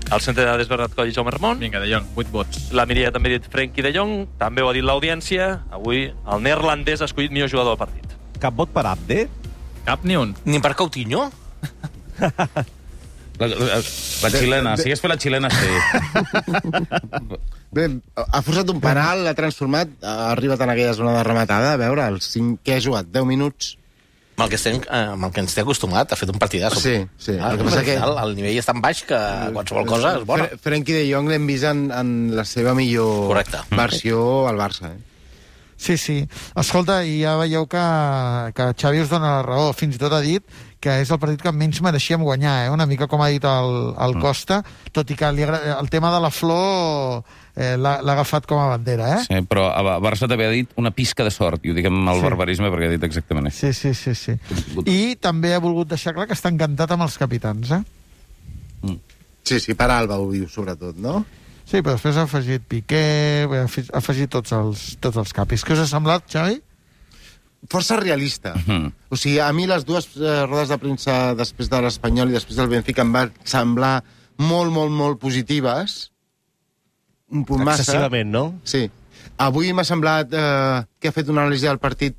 El centre de dades Bernat Coll i Jaume Ramon. Vinga, De Jong, vuit vots. La Mireia també ha dit Frenkie de Jong. També ho ha dit l'audiència. Avui el neerlandès ha escollit millor jugador del partit. Cap vot per Abde? Cap ni un. Ni per Coutinho? La, la, la xilena, si hagués fet la xilena, sí. Bé, ha forçat un penal, l'ha transformat, ha arribat en aquella zona de rematada, a veure, el cinc que ha jugat, deu minuts. Amb el que, estem, amb el que ens té acostumat, ha fet un partidasso. Sí, sí. Ah, el, que passa que... el nivell és tan baix que qualsevol cosa és bona. Fre Frenkie de Jong l'hem vist en, en la seva millor Correcte. versió al Barça, eh? Sí, sí. Escolta, i ja veieu que, que Xavi us dona la raó. Fins i tot ha dit que és el partit que menys mereixíem guanyar, eh? Una mica com ha dit el, el Costa, tot i que li el tema de la flor eh, l'ha agafat com a bandera, eh? Sí, però a Barça també ha dit una pisca de sort, i ho dic amb el sí. barbarisme perquè ha dit exactament això. Sí, sí, sí, sí. I també ha volgut deixar clar que està encantat amb els capitans, eh? Mm. Sí, sí, per Alba ho diu, sobretot, no? Sí, però després ha afegit Piqué, ha afegit tots els, tots els capis. Què us ha semblat, Xavi? Força realista. Uh -huh. O sigui, a mi les dues eh, rodes de premsa després de l'Espanyol i després del Benfica em van semblar molt, molt, molt positives. Un punt massa. Excessivament, no? Sí. Avui m'ha semblat eh, que ha fet una anàlisi del partit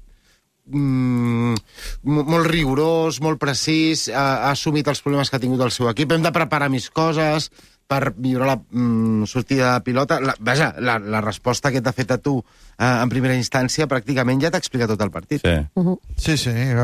mm, molt rigorós, molt precís, ha, ha assumit els problemes que ha tingut el seu equip. Hem de preparar més coses, per millorar la mm, sortida de pilota. La, vaja, la, la resposta que t'ha fet a tu eh, en primera instància pràcticament ja t'ha explicat tot el partit. Sí, Uh -huh. Sí, sí. El,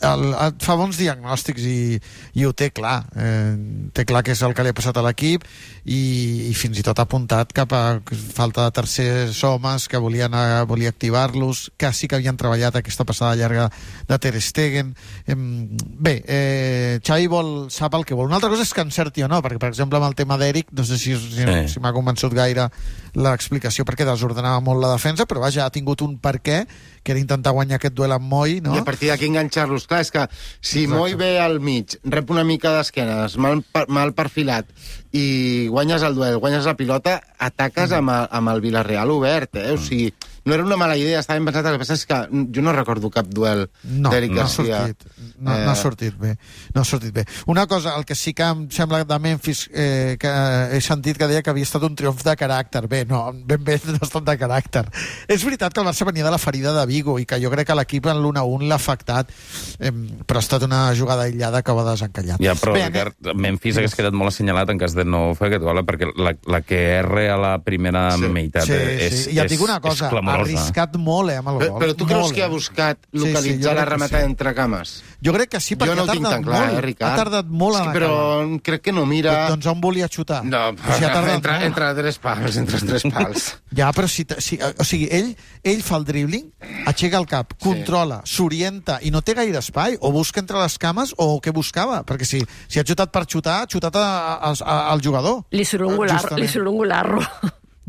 el, el, fa bons diagnòstics i, i ho té clar. Eh, té clar que és el que li ha passat a l'equip i, i fins i tot ha apuntat cap a falta de tercers homes que volien, eh, volia activar-los, que sí que havien treballat aquesta passada llarga de Ter Stegen. Eh, bé, eh, Xavi vol, sap el que vol. Una altra cosa és que encerti o no, perquè, per exemple, amb el tema d'Eric, no sé si, si, Sí. si m'ha convençut gaire l'explicació, perquè desordenava molt la defensa, però vaja, ha tingut un per què, que era intentar guanyar aquest duel amb Moi, no? I a partir d'aquí enganxar-los. Clar, és que si Exacte. Moi ve al mig, rep una mica d'esquenes, mal, mal perfilat, i guanyes el duel, guanyes la pilota, ataques amb el, amb el Villarreal obert, eh? O sigui, no era una mala idea, estava ben pensat. El que passa és que jo no recordo cap duel No, d'Eric no ha Garcia. sortit. No, no ha sortit bé. No ha sortit bé. Una cosa, el que sí que em sembla de Memphis, eh, que he sentit que deia que havia estat un triomf de caràcter. Bé, no, ben bé no ha estat de caràcter. És veritat que el Barça venia de la ferida de Vigo i que jo crec que l'equip en l'u a u l'ha afectat, eh, però ha estat una jugada aïllada que ho ha desencallat. Ja, però bé, Ricard, Memphis hagués quedat molt assenyalat en cas de no fer aquest gol, perquè la, la que erra a la primera Sí. meitat Sí, és, sí. I et és, dic una és cosa, ha clamorosa. arriscat molt, eh, amb el Però, gol. però tu creus Molt, que ha eh? buscat Sí, sí, jo localitzar crec la que rematada sí. entre cames? Jo crec que sí, perquè Jo no ha ho tinc tardat tan clar, molt. eh, Ricard? Ha tardat molt És en que, però acabar. crec que no mira... Doncs on volia xutar? No, O sigui, ha tardat entre, molt. entre tres pals, entre els tres pals. Ja, però si, si, o sigui, ell, ell fa el dribbling, aixeca el cap, controla, s'orienta i no té gaire espai, o busca entre les cames o què buscava, perquè si, si ha xutat per xutar, ha xutat a, a, a, al jugador. Li surt un golarro. Justament. Li surt un golarro.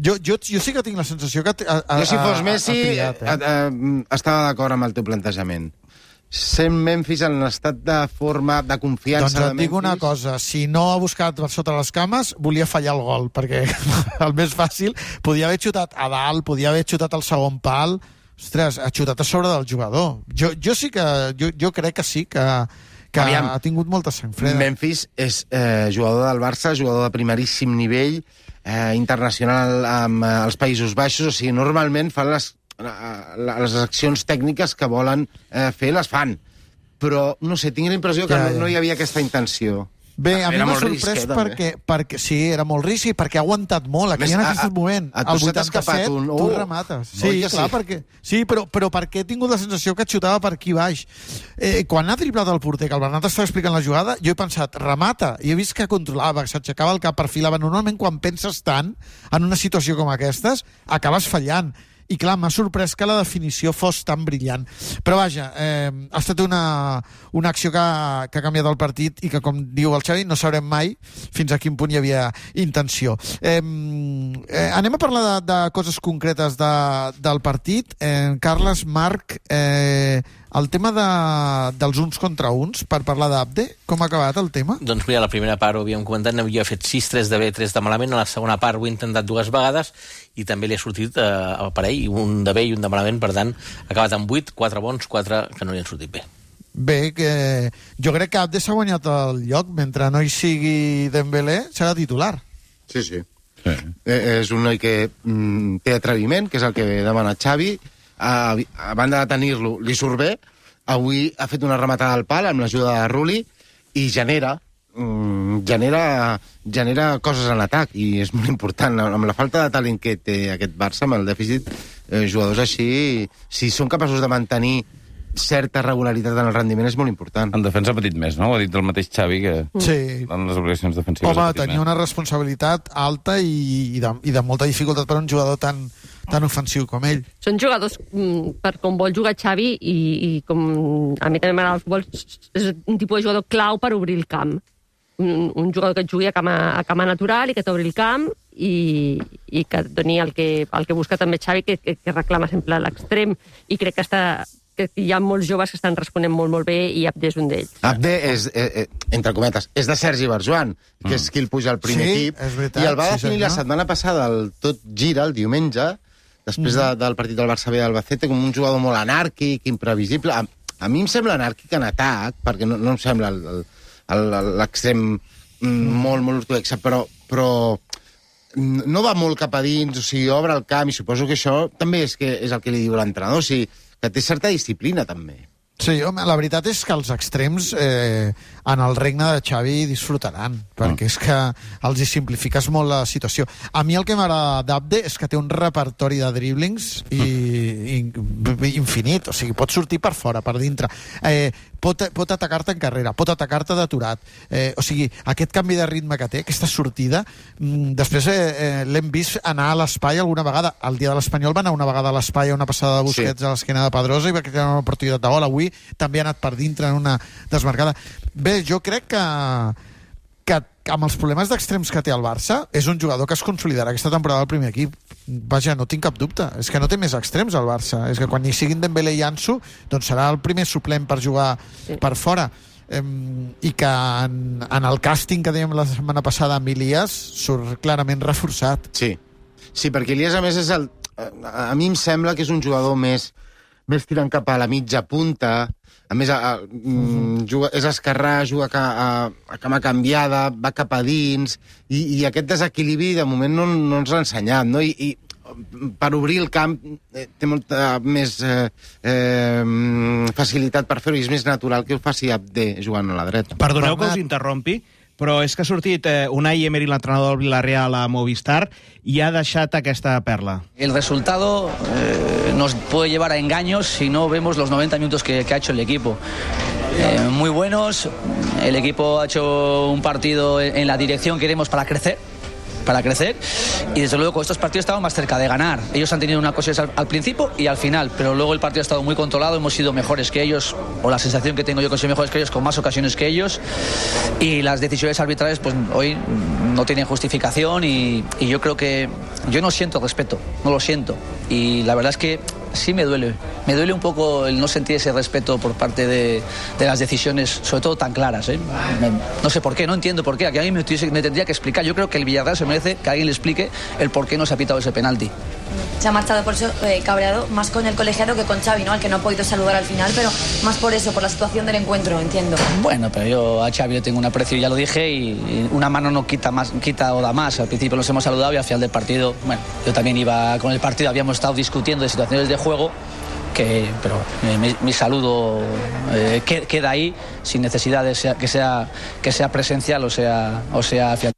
Jo, jo, jo sí que tinc la sensació que... A, a, Jo, si fos a- Messi, ha triat, eh? a, a, estava d'acord amb el teu plantejament. Sent Memphis en estat de forma, de confiança Doncs de et dic Memphis... una cosa, si no ha buscat per sota les cames, volia fallar el gol, perquè el més fàcil, podia haver xutat a dalt, podia haver xutat al segon pal, ostres, ha xutat a sobre del jugador. Jo, jo sí que, jo, jo crec que sí, que, que Aviam. ha tingut molta sang freda. Memphis és eh, jugador del Barça, jugador de primeríssim nivell, eh, internacional amb eh, els Països Baixos, o sigui, normalment fan les, eh, les accions tècniques que volen eh, fer, les fan. Però, no sé, tinc la impressió que Ja, no, ja. no hi havia aquesta intenció. Bé, a mi Era m'ha molt risc, sorprès eh, també. perquè, perquè sí, era molt risc i perquè ha aguantat molt. Aquí Més, en a- aquest a- moment, a tu al se t'ha vuitanta-set, escapat un- tu oh, remates. oi Sí, que clar, sí? perquè... Sí, però, però perquè he tingut la sensació que et xutava per aquí baix. Eh, quan ha driblat el porter, que el Bernat estava explicant la jugada, jo he pensat, remata, i he vist que controlava, que s'aixecava el cap, perfilava. Normalment, quan penses tant en una situació com aquestes, acabes fallant. I clar, m'ha sorprès que la definició fos tan brillant. Però vaja, eh, ha estat una, una acció que, ha- que ha canviat el partit i que, com diu el Xavi, no sabrem mai fins a quin punt hi havia intenció. Eh, eh, anem a parlar de, de coses concretes de, del partit. Eh, Carles, Marc, eh, el tema de, dels uns contra uns, per parlar d'Abde, com ha acabat el tema? Doncs mira, la primera part ho havíem comentat, n'havia fet sis tres de bé, tres de malament, a la segona part ho he intentat dues vegades i també li ha sortit eh, el parell, un de bé i un de malament, per tant, ha acabat amb vuit, quatre bons, quatre que no li han sortit bé. Bé, que jo crec que Abde s'ha guanyat el lloc, mentre no hi sigui Dembélé, serà titular. Sí, sí. sí. Eh, és un noi que mm, té atreviment, que és el que demana Xavi. A, a banda de tenir-lo, li surt bé. Avui ha fet una rematada al pal amb l'ajuda de Rulli i genera, mm, genera, genera coses en l'atac i és molt important. Amb la falta de talent que té aquest Barça, amb el dèficit, eh, jugadors així, si són capaços de mantenir certa regularitat en el rendiment, és molt important. En defensa ha patit més, no? Ho ha dit el mateix Xavi, que Sí. en les obligacions defensives Home, ha patit tenia més. una responsabilitat alta i, i, de, i de molta dificultat per a un jugador tan, tan ofensiu com ell. Són jugadors mm, per com vol jugar Xavi i, i com a mi també m'agrada el futbol, és un tipus de jugador clau per obrir el camp. Un, un jugador que et jugui a cama, a cama natural i que t'obri el camp i, i que et doni el que, el que busca també Xavi, que, que, que reclama sempre l'extrem. I crec que, està, que hi ha molts joves que estan responent molt, molt bé i Abde és un d'ells. Abde és, eh, eh, entre cometes, és de Sergi Barjuan, que és qui el puja al primer Sí, equip, és veritat, i el va sí, definir la senyor. setmana passada al Tot Gira, el diumenge, després de, del partit del Barça B d'Albacete, com un jugador molt anàrquic, imprevisible. A, a mi em sembla anàrquic en atac, perquè no, no em sembla el- el- el- l'extrem mm, molt, molt ortodoxa, però, però no va molt cap a dins, o sigui, obre el camp, i suposo que això també és, que és el que li diu l'entrenador, o sigui, que té certa disciplina, també. Sí, home, la veritat és que els extrems eh, en el regne de Xavi disfrutaran, perquè és que els hi simplifiques molt la situació. A mi el que m'agrada d'Abde és que té un repertori de driblings i, i, infinit, o sigui, pot sortir per fora, per dintre, eh, pot, pot atacar-te en carrera, pot atacar-te d'aturat, eh, o sigui, aquest canvi de ritme que té, aquesta sortida, mm, després eh, eh, l'hem vist anar a l'espai alguna vegada, el dia de l'Espanyol va anar una vegada a l'espai a una passada de Busquets sí. a l'esquena de Pedrosa i va crear una oportunitat de gol. Avui també ha anat per dintre en una desmarcada. Bé, jo crec que, que amb els problemes d'extrems que té el Barça, és un jugador que es consolidarà aquesta temporada al primer equip. Vaja, no tinc cap dubte. És que no té més extrems al Barça. És que quan hi siguin Dembélé i Ansu, doncs serà el primer suplent per jugar sí. per fora. Eh, I que en, en el càsting que dèiem la setmana passada amb Ilias surt clarament reforçat. Sí, sí, perquè Ilias a més és el... A mi em sembla que és un jugador més més tirant cap a la mitja punta, a més a, a, mm, juga, és esquerrà, juga a, a, a cama canviada, va cap a dins, i, i aquest desequilibri de moment no, no ens l'ha ensenyat, no? I, i per obrir el camp eh, té molta més eh, eh, facilitat per fer-ho, i és més natural que ho faci Abde jugant a la dreta. Perdoneu que us interrompi, però és que ha sortit eh, Unai Emery, l'entrenador del Villarreal, a Movistar, i ha deixat aquesta perla. El resultado eh, nos puede llevar a engaños si no vemos los noventa minutos que, que ha hecho el equipo. Eh, muy buenos, el equipo ha hecho un partido en la dirección que queremos para crecer, para crecer, y desde luego con estos partidos estamos más cerca de ganar. Ellos han tenido una cosa al, al principio y al final, pero luego el partido ha estado muy controlado, hemos sido mejores que ellos, o la sensación que tengo yo que soy mejores que ellos, con más ocasiones que ellos, y las decisiones arbitrales pues hoy no tienen justificación, y, y yo creo que yo no siento respeto, no lo siento, y la verdad es que sí me duele, me duele un poco el no sentir ese respeto por parte de, de las decisiones, sobre todo tan claras, ¿eh? Me, no sé por qué, no entiendo por qué, aquí alguien me, me tendría que explicar. Yo creo que el Villarreal se merece que alguien le explique el por qué no se ha pitado ese penalti. Se ha marchado por eso eh, cabreado, más con el colegiado que con Xavi, ¿no? Al que no ha podido saludar al final, pero más por eso, por la situación del encuentro, entiendo. Bueno, pero yo a Xavi le tengo un aprecio, ya lo dije, y, y una mano no quita más, quita o da más. Al principio nos hemos saludado y al final del partido, bueno, yo también iba con el partido, habíamos estado discutiendo de situaciones de juego, que, pero eh, mi, mi saludo eh, queda ahí, sin necesidad de sea, que, sea, que sea presencial o sea, o sea fiat.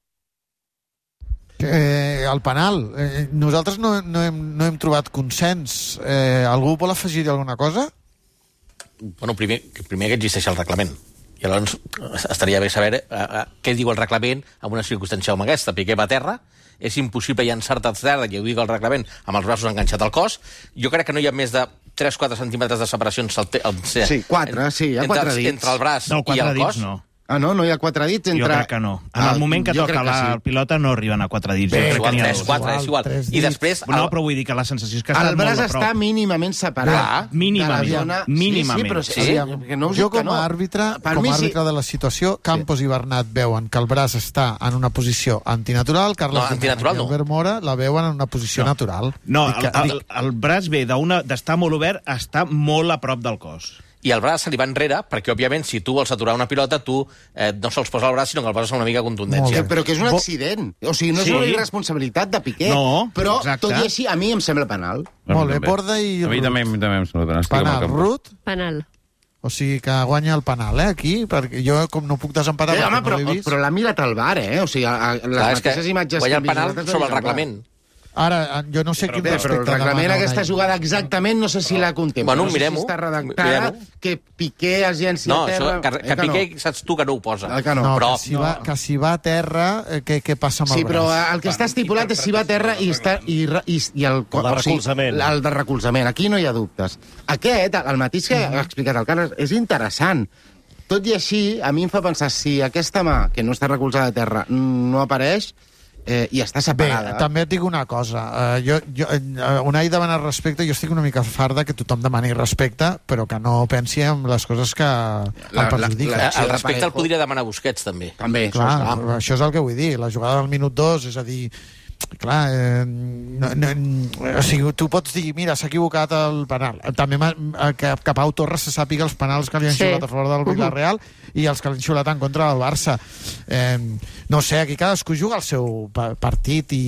Eh, el penal, eh, nosaltres no, no, hem, no hem trobat consens. Eh, algú vol afegir alguna cosa? Bueno, primer, primer que existeix el reglament. I llavors estaria bé saber eh, eh, què diu el reglament en una circumstància com aquesta. Piqué va a terra, és impossible llançar-te a terra, que ho digui el reglament, amb els braços enganxats al cos. Jo crec que no hi ha més de tres quatre centímetres de separació entre, entre, sí, quatre, sí, hi ha quatre dits. Entre el braç no, i el dits, cos. No. Ah, no? No hi ha quatre dits entre... Jo crec que no. En el moment que toca la sí. pilota no arriben a quatre dits. Bé, igual, tres, quatre, és igual. I després... No, però vull dir que la sensació és que ha estat molt a prop. El braç està mínimament separat. Ah, mínimament. Zona... Mínimament. Sí, sí, però sí. Sí, que no jo com a no. àrbitre, com a àrbitre sí. de la situació, Campos sí. i Bernat veuen que el braç està en una posició antinatural, Carles no, antinatural, i Albert Mora la veuen en una posició no. natural. No, el, el, el braç ve d'estar molt obert a estar molt a prop del cos. I el braç se li va enrere, perquè, òbviament, si tu vols aturar una pilota, tu eh, no sols posa el braç, sinó que el poses amb una mica de contundència. Que, però que és un accident. O sigui, no és sí. una irresponsabilitat de Piqué. No, però, exacte. tot i així, a mi em sembla penal. Molt bé, Borda i Ruth. A mi també, també em sembla penal. Penal, Ruth? Penal. O sigui que guanya el penal, eh, aquí, perquè jo com no puc desempatar... Eh, home, però, no però l'ha mirat al bar, eh? O sigui, a, a, les Clar, mateixes imatges... Guanya el penal sobre el reglament. Ara, jo no sé però, quin bé, respecte però el reglament demana, aquesta jugada exactament no sé si la contempla. Bueno, no sé mirem-ho. si està redactada, que Piqué es llenci no, a terra... Això, que, que, que Piqué, no. Saps tu que no ho posa. El que no. No, però, que, si va, que si va a terra, eh, què, què passa amb sí, el braç? Sí, però el que està estipulat és si va a terra i, està, i, i, i el, el de recolzament. O sigui, el de recolzament. Aquí no hi ha dubtes. Aquest, el mateix que ha explicat el Carles, és interessant. Tot i així, a mi em fa pensar, si aquesta mà, que no està recolzada a terra, no apareix... Eh, i està separada. Bé, també et dic una cosa. Uh, jo, jo, uh, Unai demana respecte, jo estic una mica farda que tothom demani respecte, però que no pensi en les coses que la, el perjudiquen. La, la, el respecte el podria demanar Busquets, també. També, clar, això, és això és el que vull dir. La jugada del minut dos, és a dir... Clar, eh, no, no, o sigui, tu pots dir, mira, s'ha equivocat el penal. També que, que Pau Torres se sàpiga els penals que li han sí. xiulat a favor del Villarreal i els que li han xiulat en contra del Barça. Eh, no sé, aquí cadascú juga el seu partit i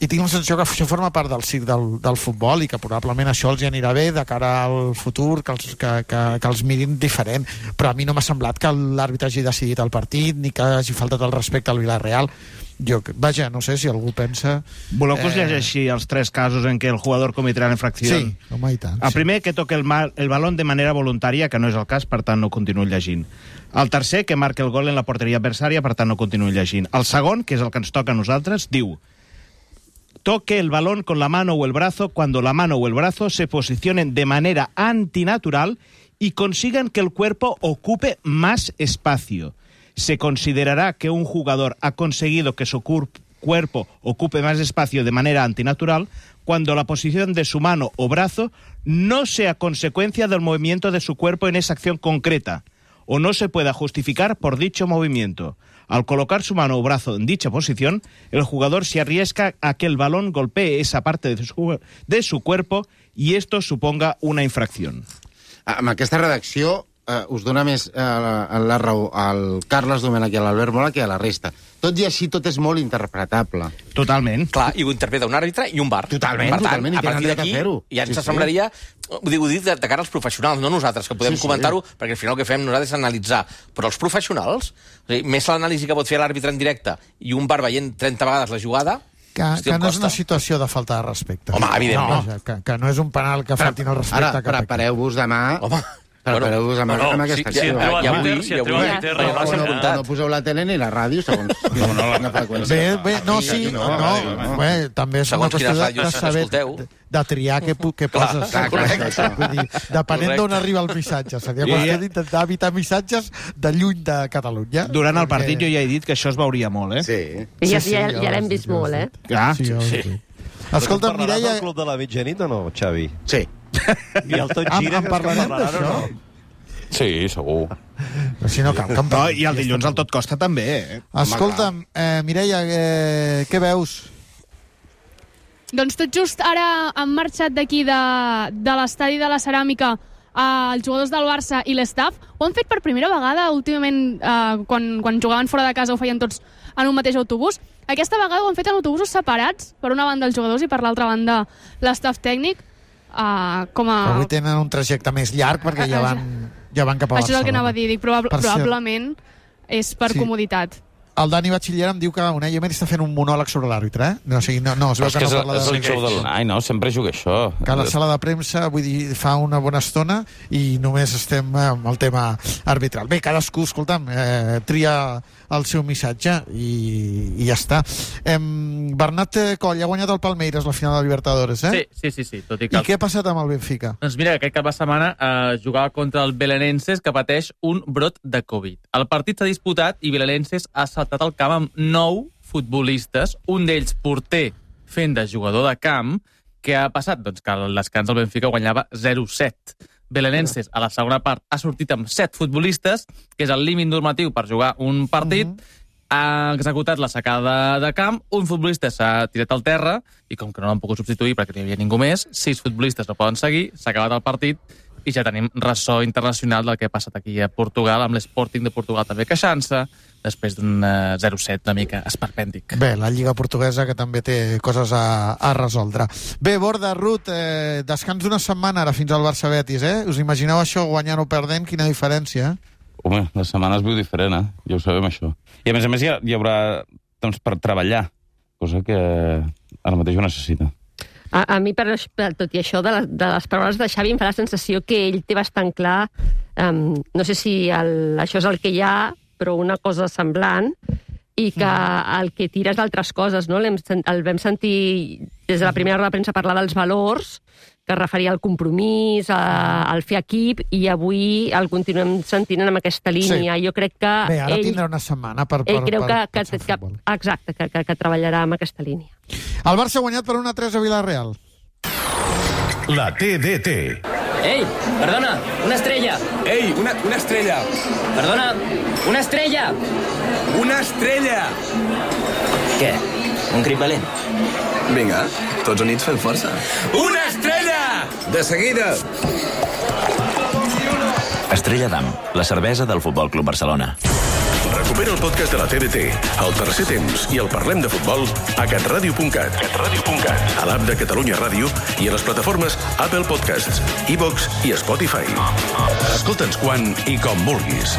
i tinc la sensació que això forma part del circ del, del futbol i que probablement això els hi anirà bé de cara al futur, que els, que, que, que els mirin diferent, però a mi no m'ha semblat que l'àrbitre hagi decidit el partit ni que hagi faltat el respecte al Villarreal. Jo, vaja, no sé si algú pensa... Voleu que us eh... llegeixi els tres casos en què el jugador cometrà la infracció? Sí, home, i tant. El sí. primer, que toque el, mal, el balón de manera voluntària, que no és el cas, per tant no continuo llegint. El tercer, que marca el gol en la porteria adversària, per tant no continuo llegint. El segon, que és el que ens toca a nosaltres, diu: toque el balón con la mano o el brazo cuando la mano o el brazo se posicionen de manera antinatural y consigan que el cuerpo ocupe más espacio. Se considerará que un jugador ha conseguido que su cuerpo ocupe más espacio de manera antinatural cuando la posición de su mano o brazo no sea consecuencia del movimiento de su cuerpo en esa acción concreta o no se pueda justificar por dicho movimiento. Al colocar su mano o brazo en dicha posición, el jugador se arriesga a que el balón golpee esa parte de su, de su cuerpo y esto suponga una infracción. Amb aquesta redacció eh, us dona més eh, la, la raó al Carles Domènech i a l'Albert Mola que a la resta. Tot i així, tot és molt interpretable. Totalment. Clar, i ho interpreta un àrbitre i un bar. Totalment, per tant, totalment, i a partir tenen dret a d'aquí fer-ho. ja ens Sí, sí. semblaria... Ho dic, ho dic de, de cara als professionals, no nosaltres, que podem Sí, sí. comentar-ho, perquè al final el que fem nosaltres és analitzar. Però els professionals, o sigui, més l'anàlisi que pot fer l'àrbitre en directe i un bar veient trenta vegades la jugada... Que, Hòstia, que no és costa. una situació de falta de respecte. Home, evidentment. No, que, que no és un penal que faltin el respecte. Ara, cap prepareu-vos demà... Home, Prepareu-vos amb, bueno, amb aquesta si- si acció. entreu a I avui- Twitter, si i entreu a avui- Twitter, o- o passa no, nada. no poseu la tele ni la ràdio, segons no, no, la freqüència. Bé, bé, no, sí, Aquí no, no, no, no. bé, també és Segons una qüestió quines de, ràdios de saber, escolteu. de, de triar què, pu- què Clar, poses. clar, correcte. Vull dir, depenent Correcte. d'on arriba el missatge. Seria Jo qüestió ja- d'intentar evitar missatges de lluny de Catalunya. Durant el perquè- partit jo ja he dit que això es veuria molt, eh? Sí. I ja, Sí, sí, ja, ja ja ho l'hem has vist dit, ja ho has molt, eh? Ah, Sí, ja ho has sí. dit. Escolta, Parlaràs Mireia... del club de la mitjanit o no, Xavi? Sí. I el tot En, gira, en creus que parlarem parlaran o d'això? no? Sí, segur. Si no cal que en No, parlem. i el dilluns al Tot Costa també, eh? Escolta'm, eh, Mireia, eh, què veus? Doncs tot just ara han marxat d'aquí de, de l'estadi de la Ceràmica eh, els jugadors del Barça i l'estaf. Ho han fet per primera vegada últimament eh, quan, quan jugaven fora de casa ho feien tots en un mateix autobús. Aquesta vegada ho han fet en autobusos separats, per una banda els jugadors i per l'altra banda l'estaf tècnic. Uh, com a... Avui tenen un trajecte més llarg perquè ja van, ja van cap a Això és el que anava a dir, dic, probable, Per cert- probablement és per Sí. comoditat. El Dani Batxiller em diu que Unai Emery està fent un monòleg sobre l'àrbitre, eh? No, o sigui, no, no, es veu És que que no és, parla és el de... show de l'Unai, no? Sempre juga això. Que a la sala de premsa, vull dir, fa una bona estona i només estem amb el tema arbitral. Bé, cadascú, escolta'm, eh, tria el seu missatge i, i ja està. Em, Bernat Coll ha guanyat el Palmeiras la final de la Libertadores, eh? Sí, sí, sí, sí. Tot i, que... I què ha passat amb el Benfica? Doncs mira, aquest cap de setmana eh, jugava contra el Belenenses, que pateix un brot de Covid. El partit s'ha disputat i Belenenses ha saltat al camp amb nou futbolistes, un d'ells porter fent de jugador de camp. Què ha passat? Doncs que al descans el Benfica guanyava zero set. Belenenses, a la segona part, ha sortit amb set futbolistes, que és el límit normatiu per jugar un partit, uh -huh. ha executat la sacada de camp, un futbolista s'ha tirat al terra, i com que no l'han pogut substituir perquè no hi havia ningú més, sis futbolistes no poden seguir, s'ha acabat el partit, i ja tenim ressò internacional del que ha passat aquí a Portugal, amb l'Sporting de Portugal també queixant-se, després d'un uh, zero set una mica esperpèntic. Bé, la Lliga Portuguesa, que també té coses a, a resoldre. Bé, Borda, Ruth, eh, descans d'una setmana ara fins al Barça-Betis, eh? Us imagineu això guanyant o perdent? Quina diferència, eh? Home, la setmana es viu diferent, eh? Ja ho sabem, això. I a més a més hi, ha, hi haurà temps per treballar, cosa que ara mateix ho necessita. A, a mi, per, per tot i això, de, la, de les paraules de Xavi, em fa la sensació que ell té bastant clar, um, no sé si el, això és el que hi ha, però una cosa semblant, i que el que tira és d'altres coses, no? El, el vam sentir des de la primera hora de premsa parlar dels valors, que es referia al compromís, a, al fer equip, i avui el continuem sentint en aquesta línia. Sí. Jo crec que Bé, ara ell, tindrà una setmana per... per ell creu per, que, que, que, que, exacte, que, que, que treballarà amb aquesta línia. El Barça ha guanyat per una tres a Villarreal. La T D T. ¡Ey! ¡Perdona! ¡Una estrella! ¡Ey! Una, una estrella! ¡Perdona! ¡Una estrella! Una estrella! Què? Un crit valent? Vinga, tots units fem força. Una estrella! De seguida! Estrella d'Am, la cervesa del Futbol Club Barcelona. Recupera el podcast de la T D T, el Tercer Temps i el Parlem de Futbol a catradio punt cat, catradio punt cat, a l'app de Catalunya Ràdio i a les plataformes Apple Podcasts, iVox i Spotify. Escolta'ns quan i com vulguis.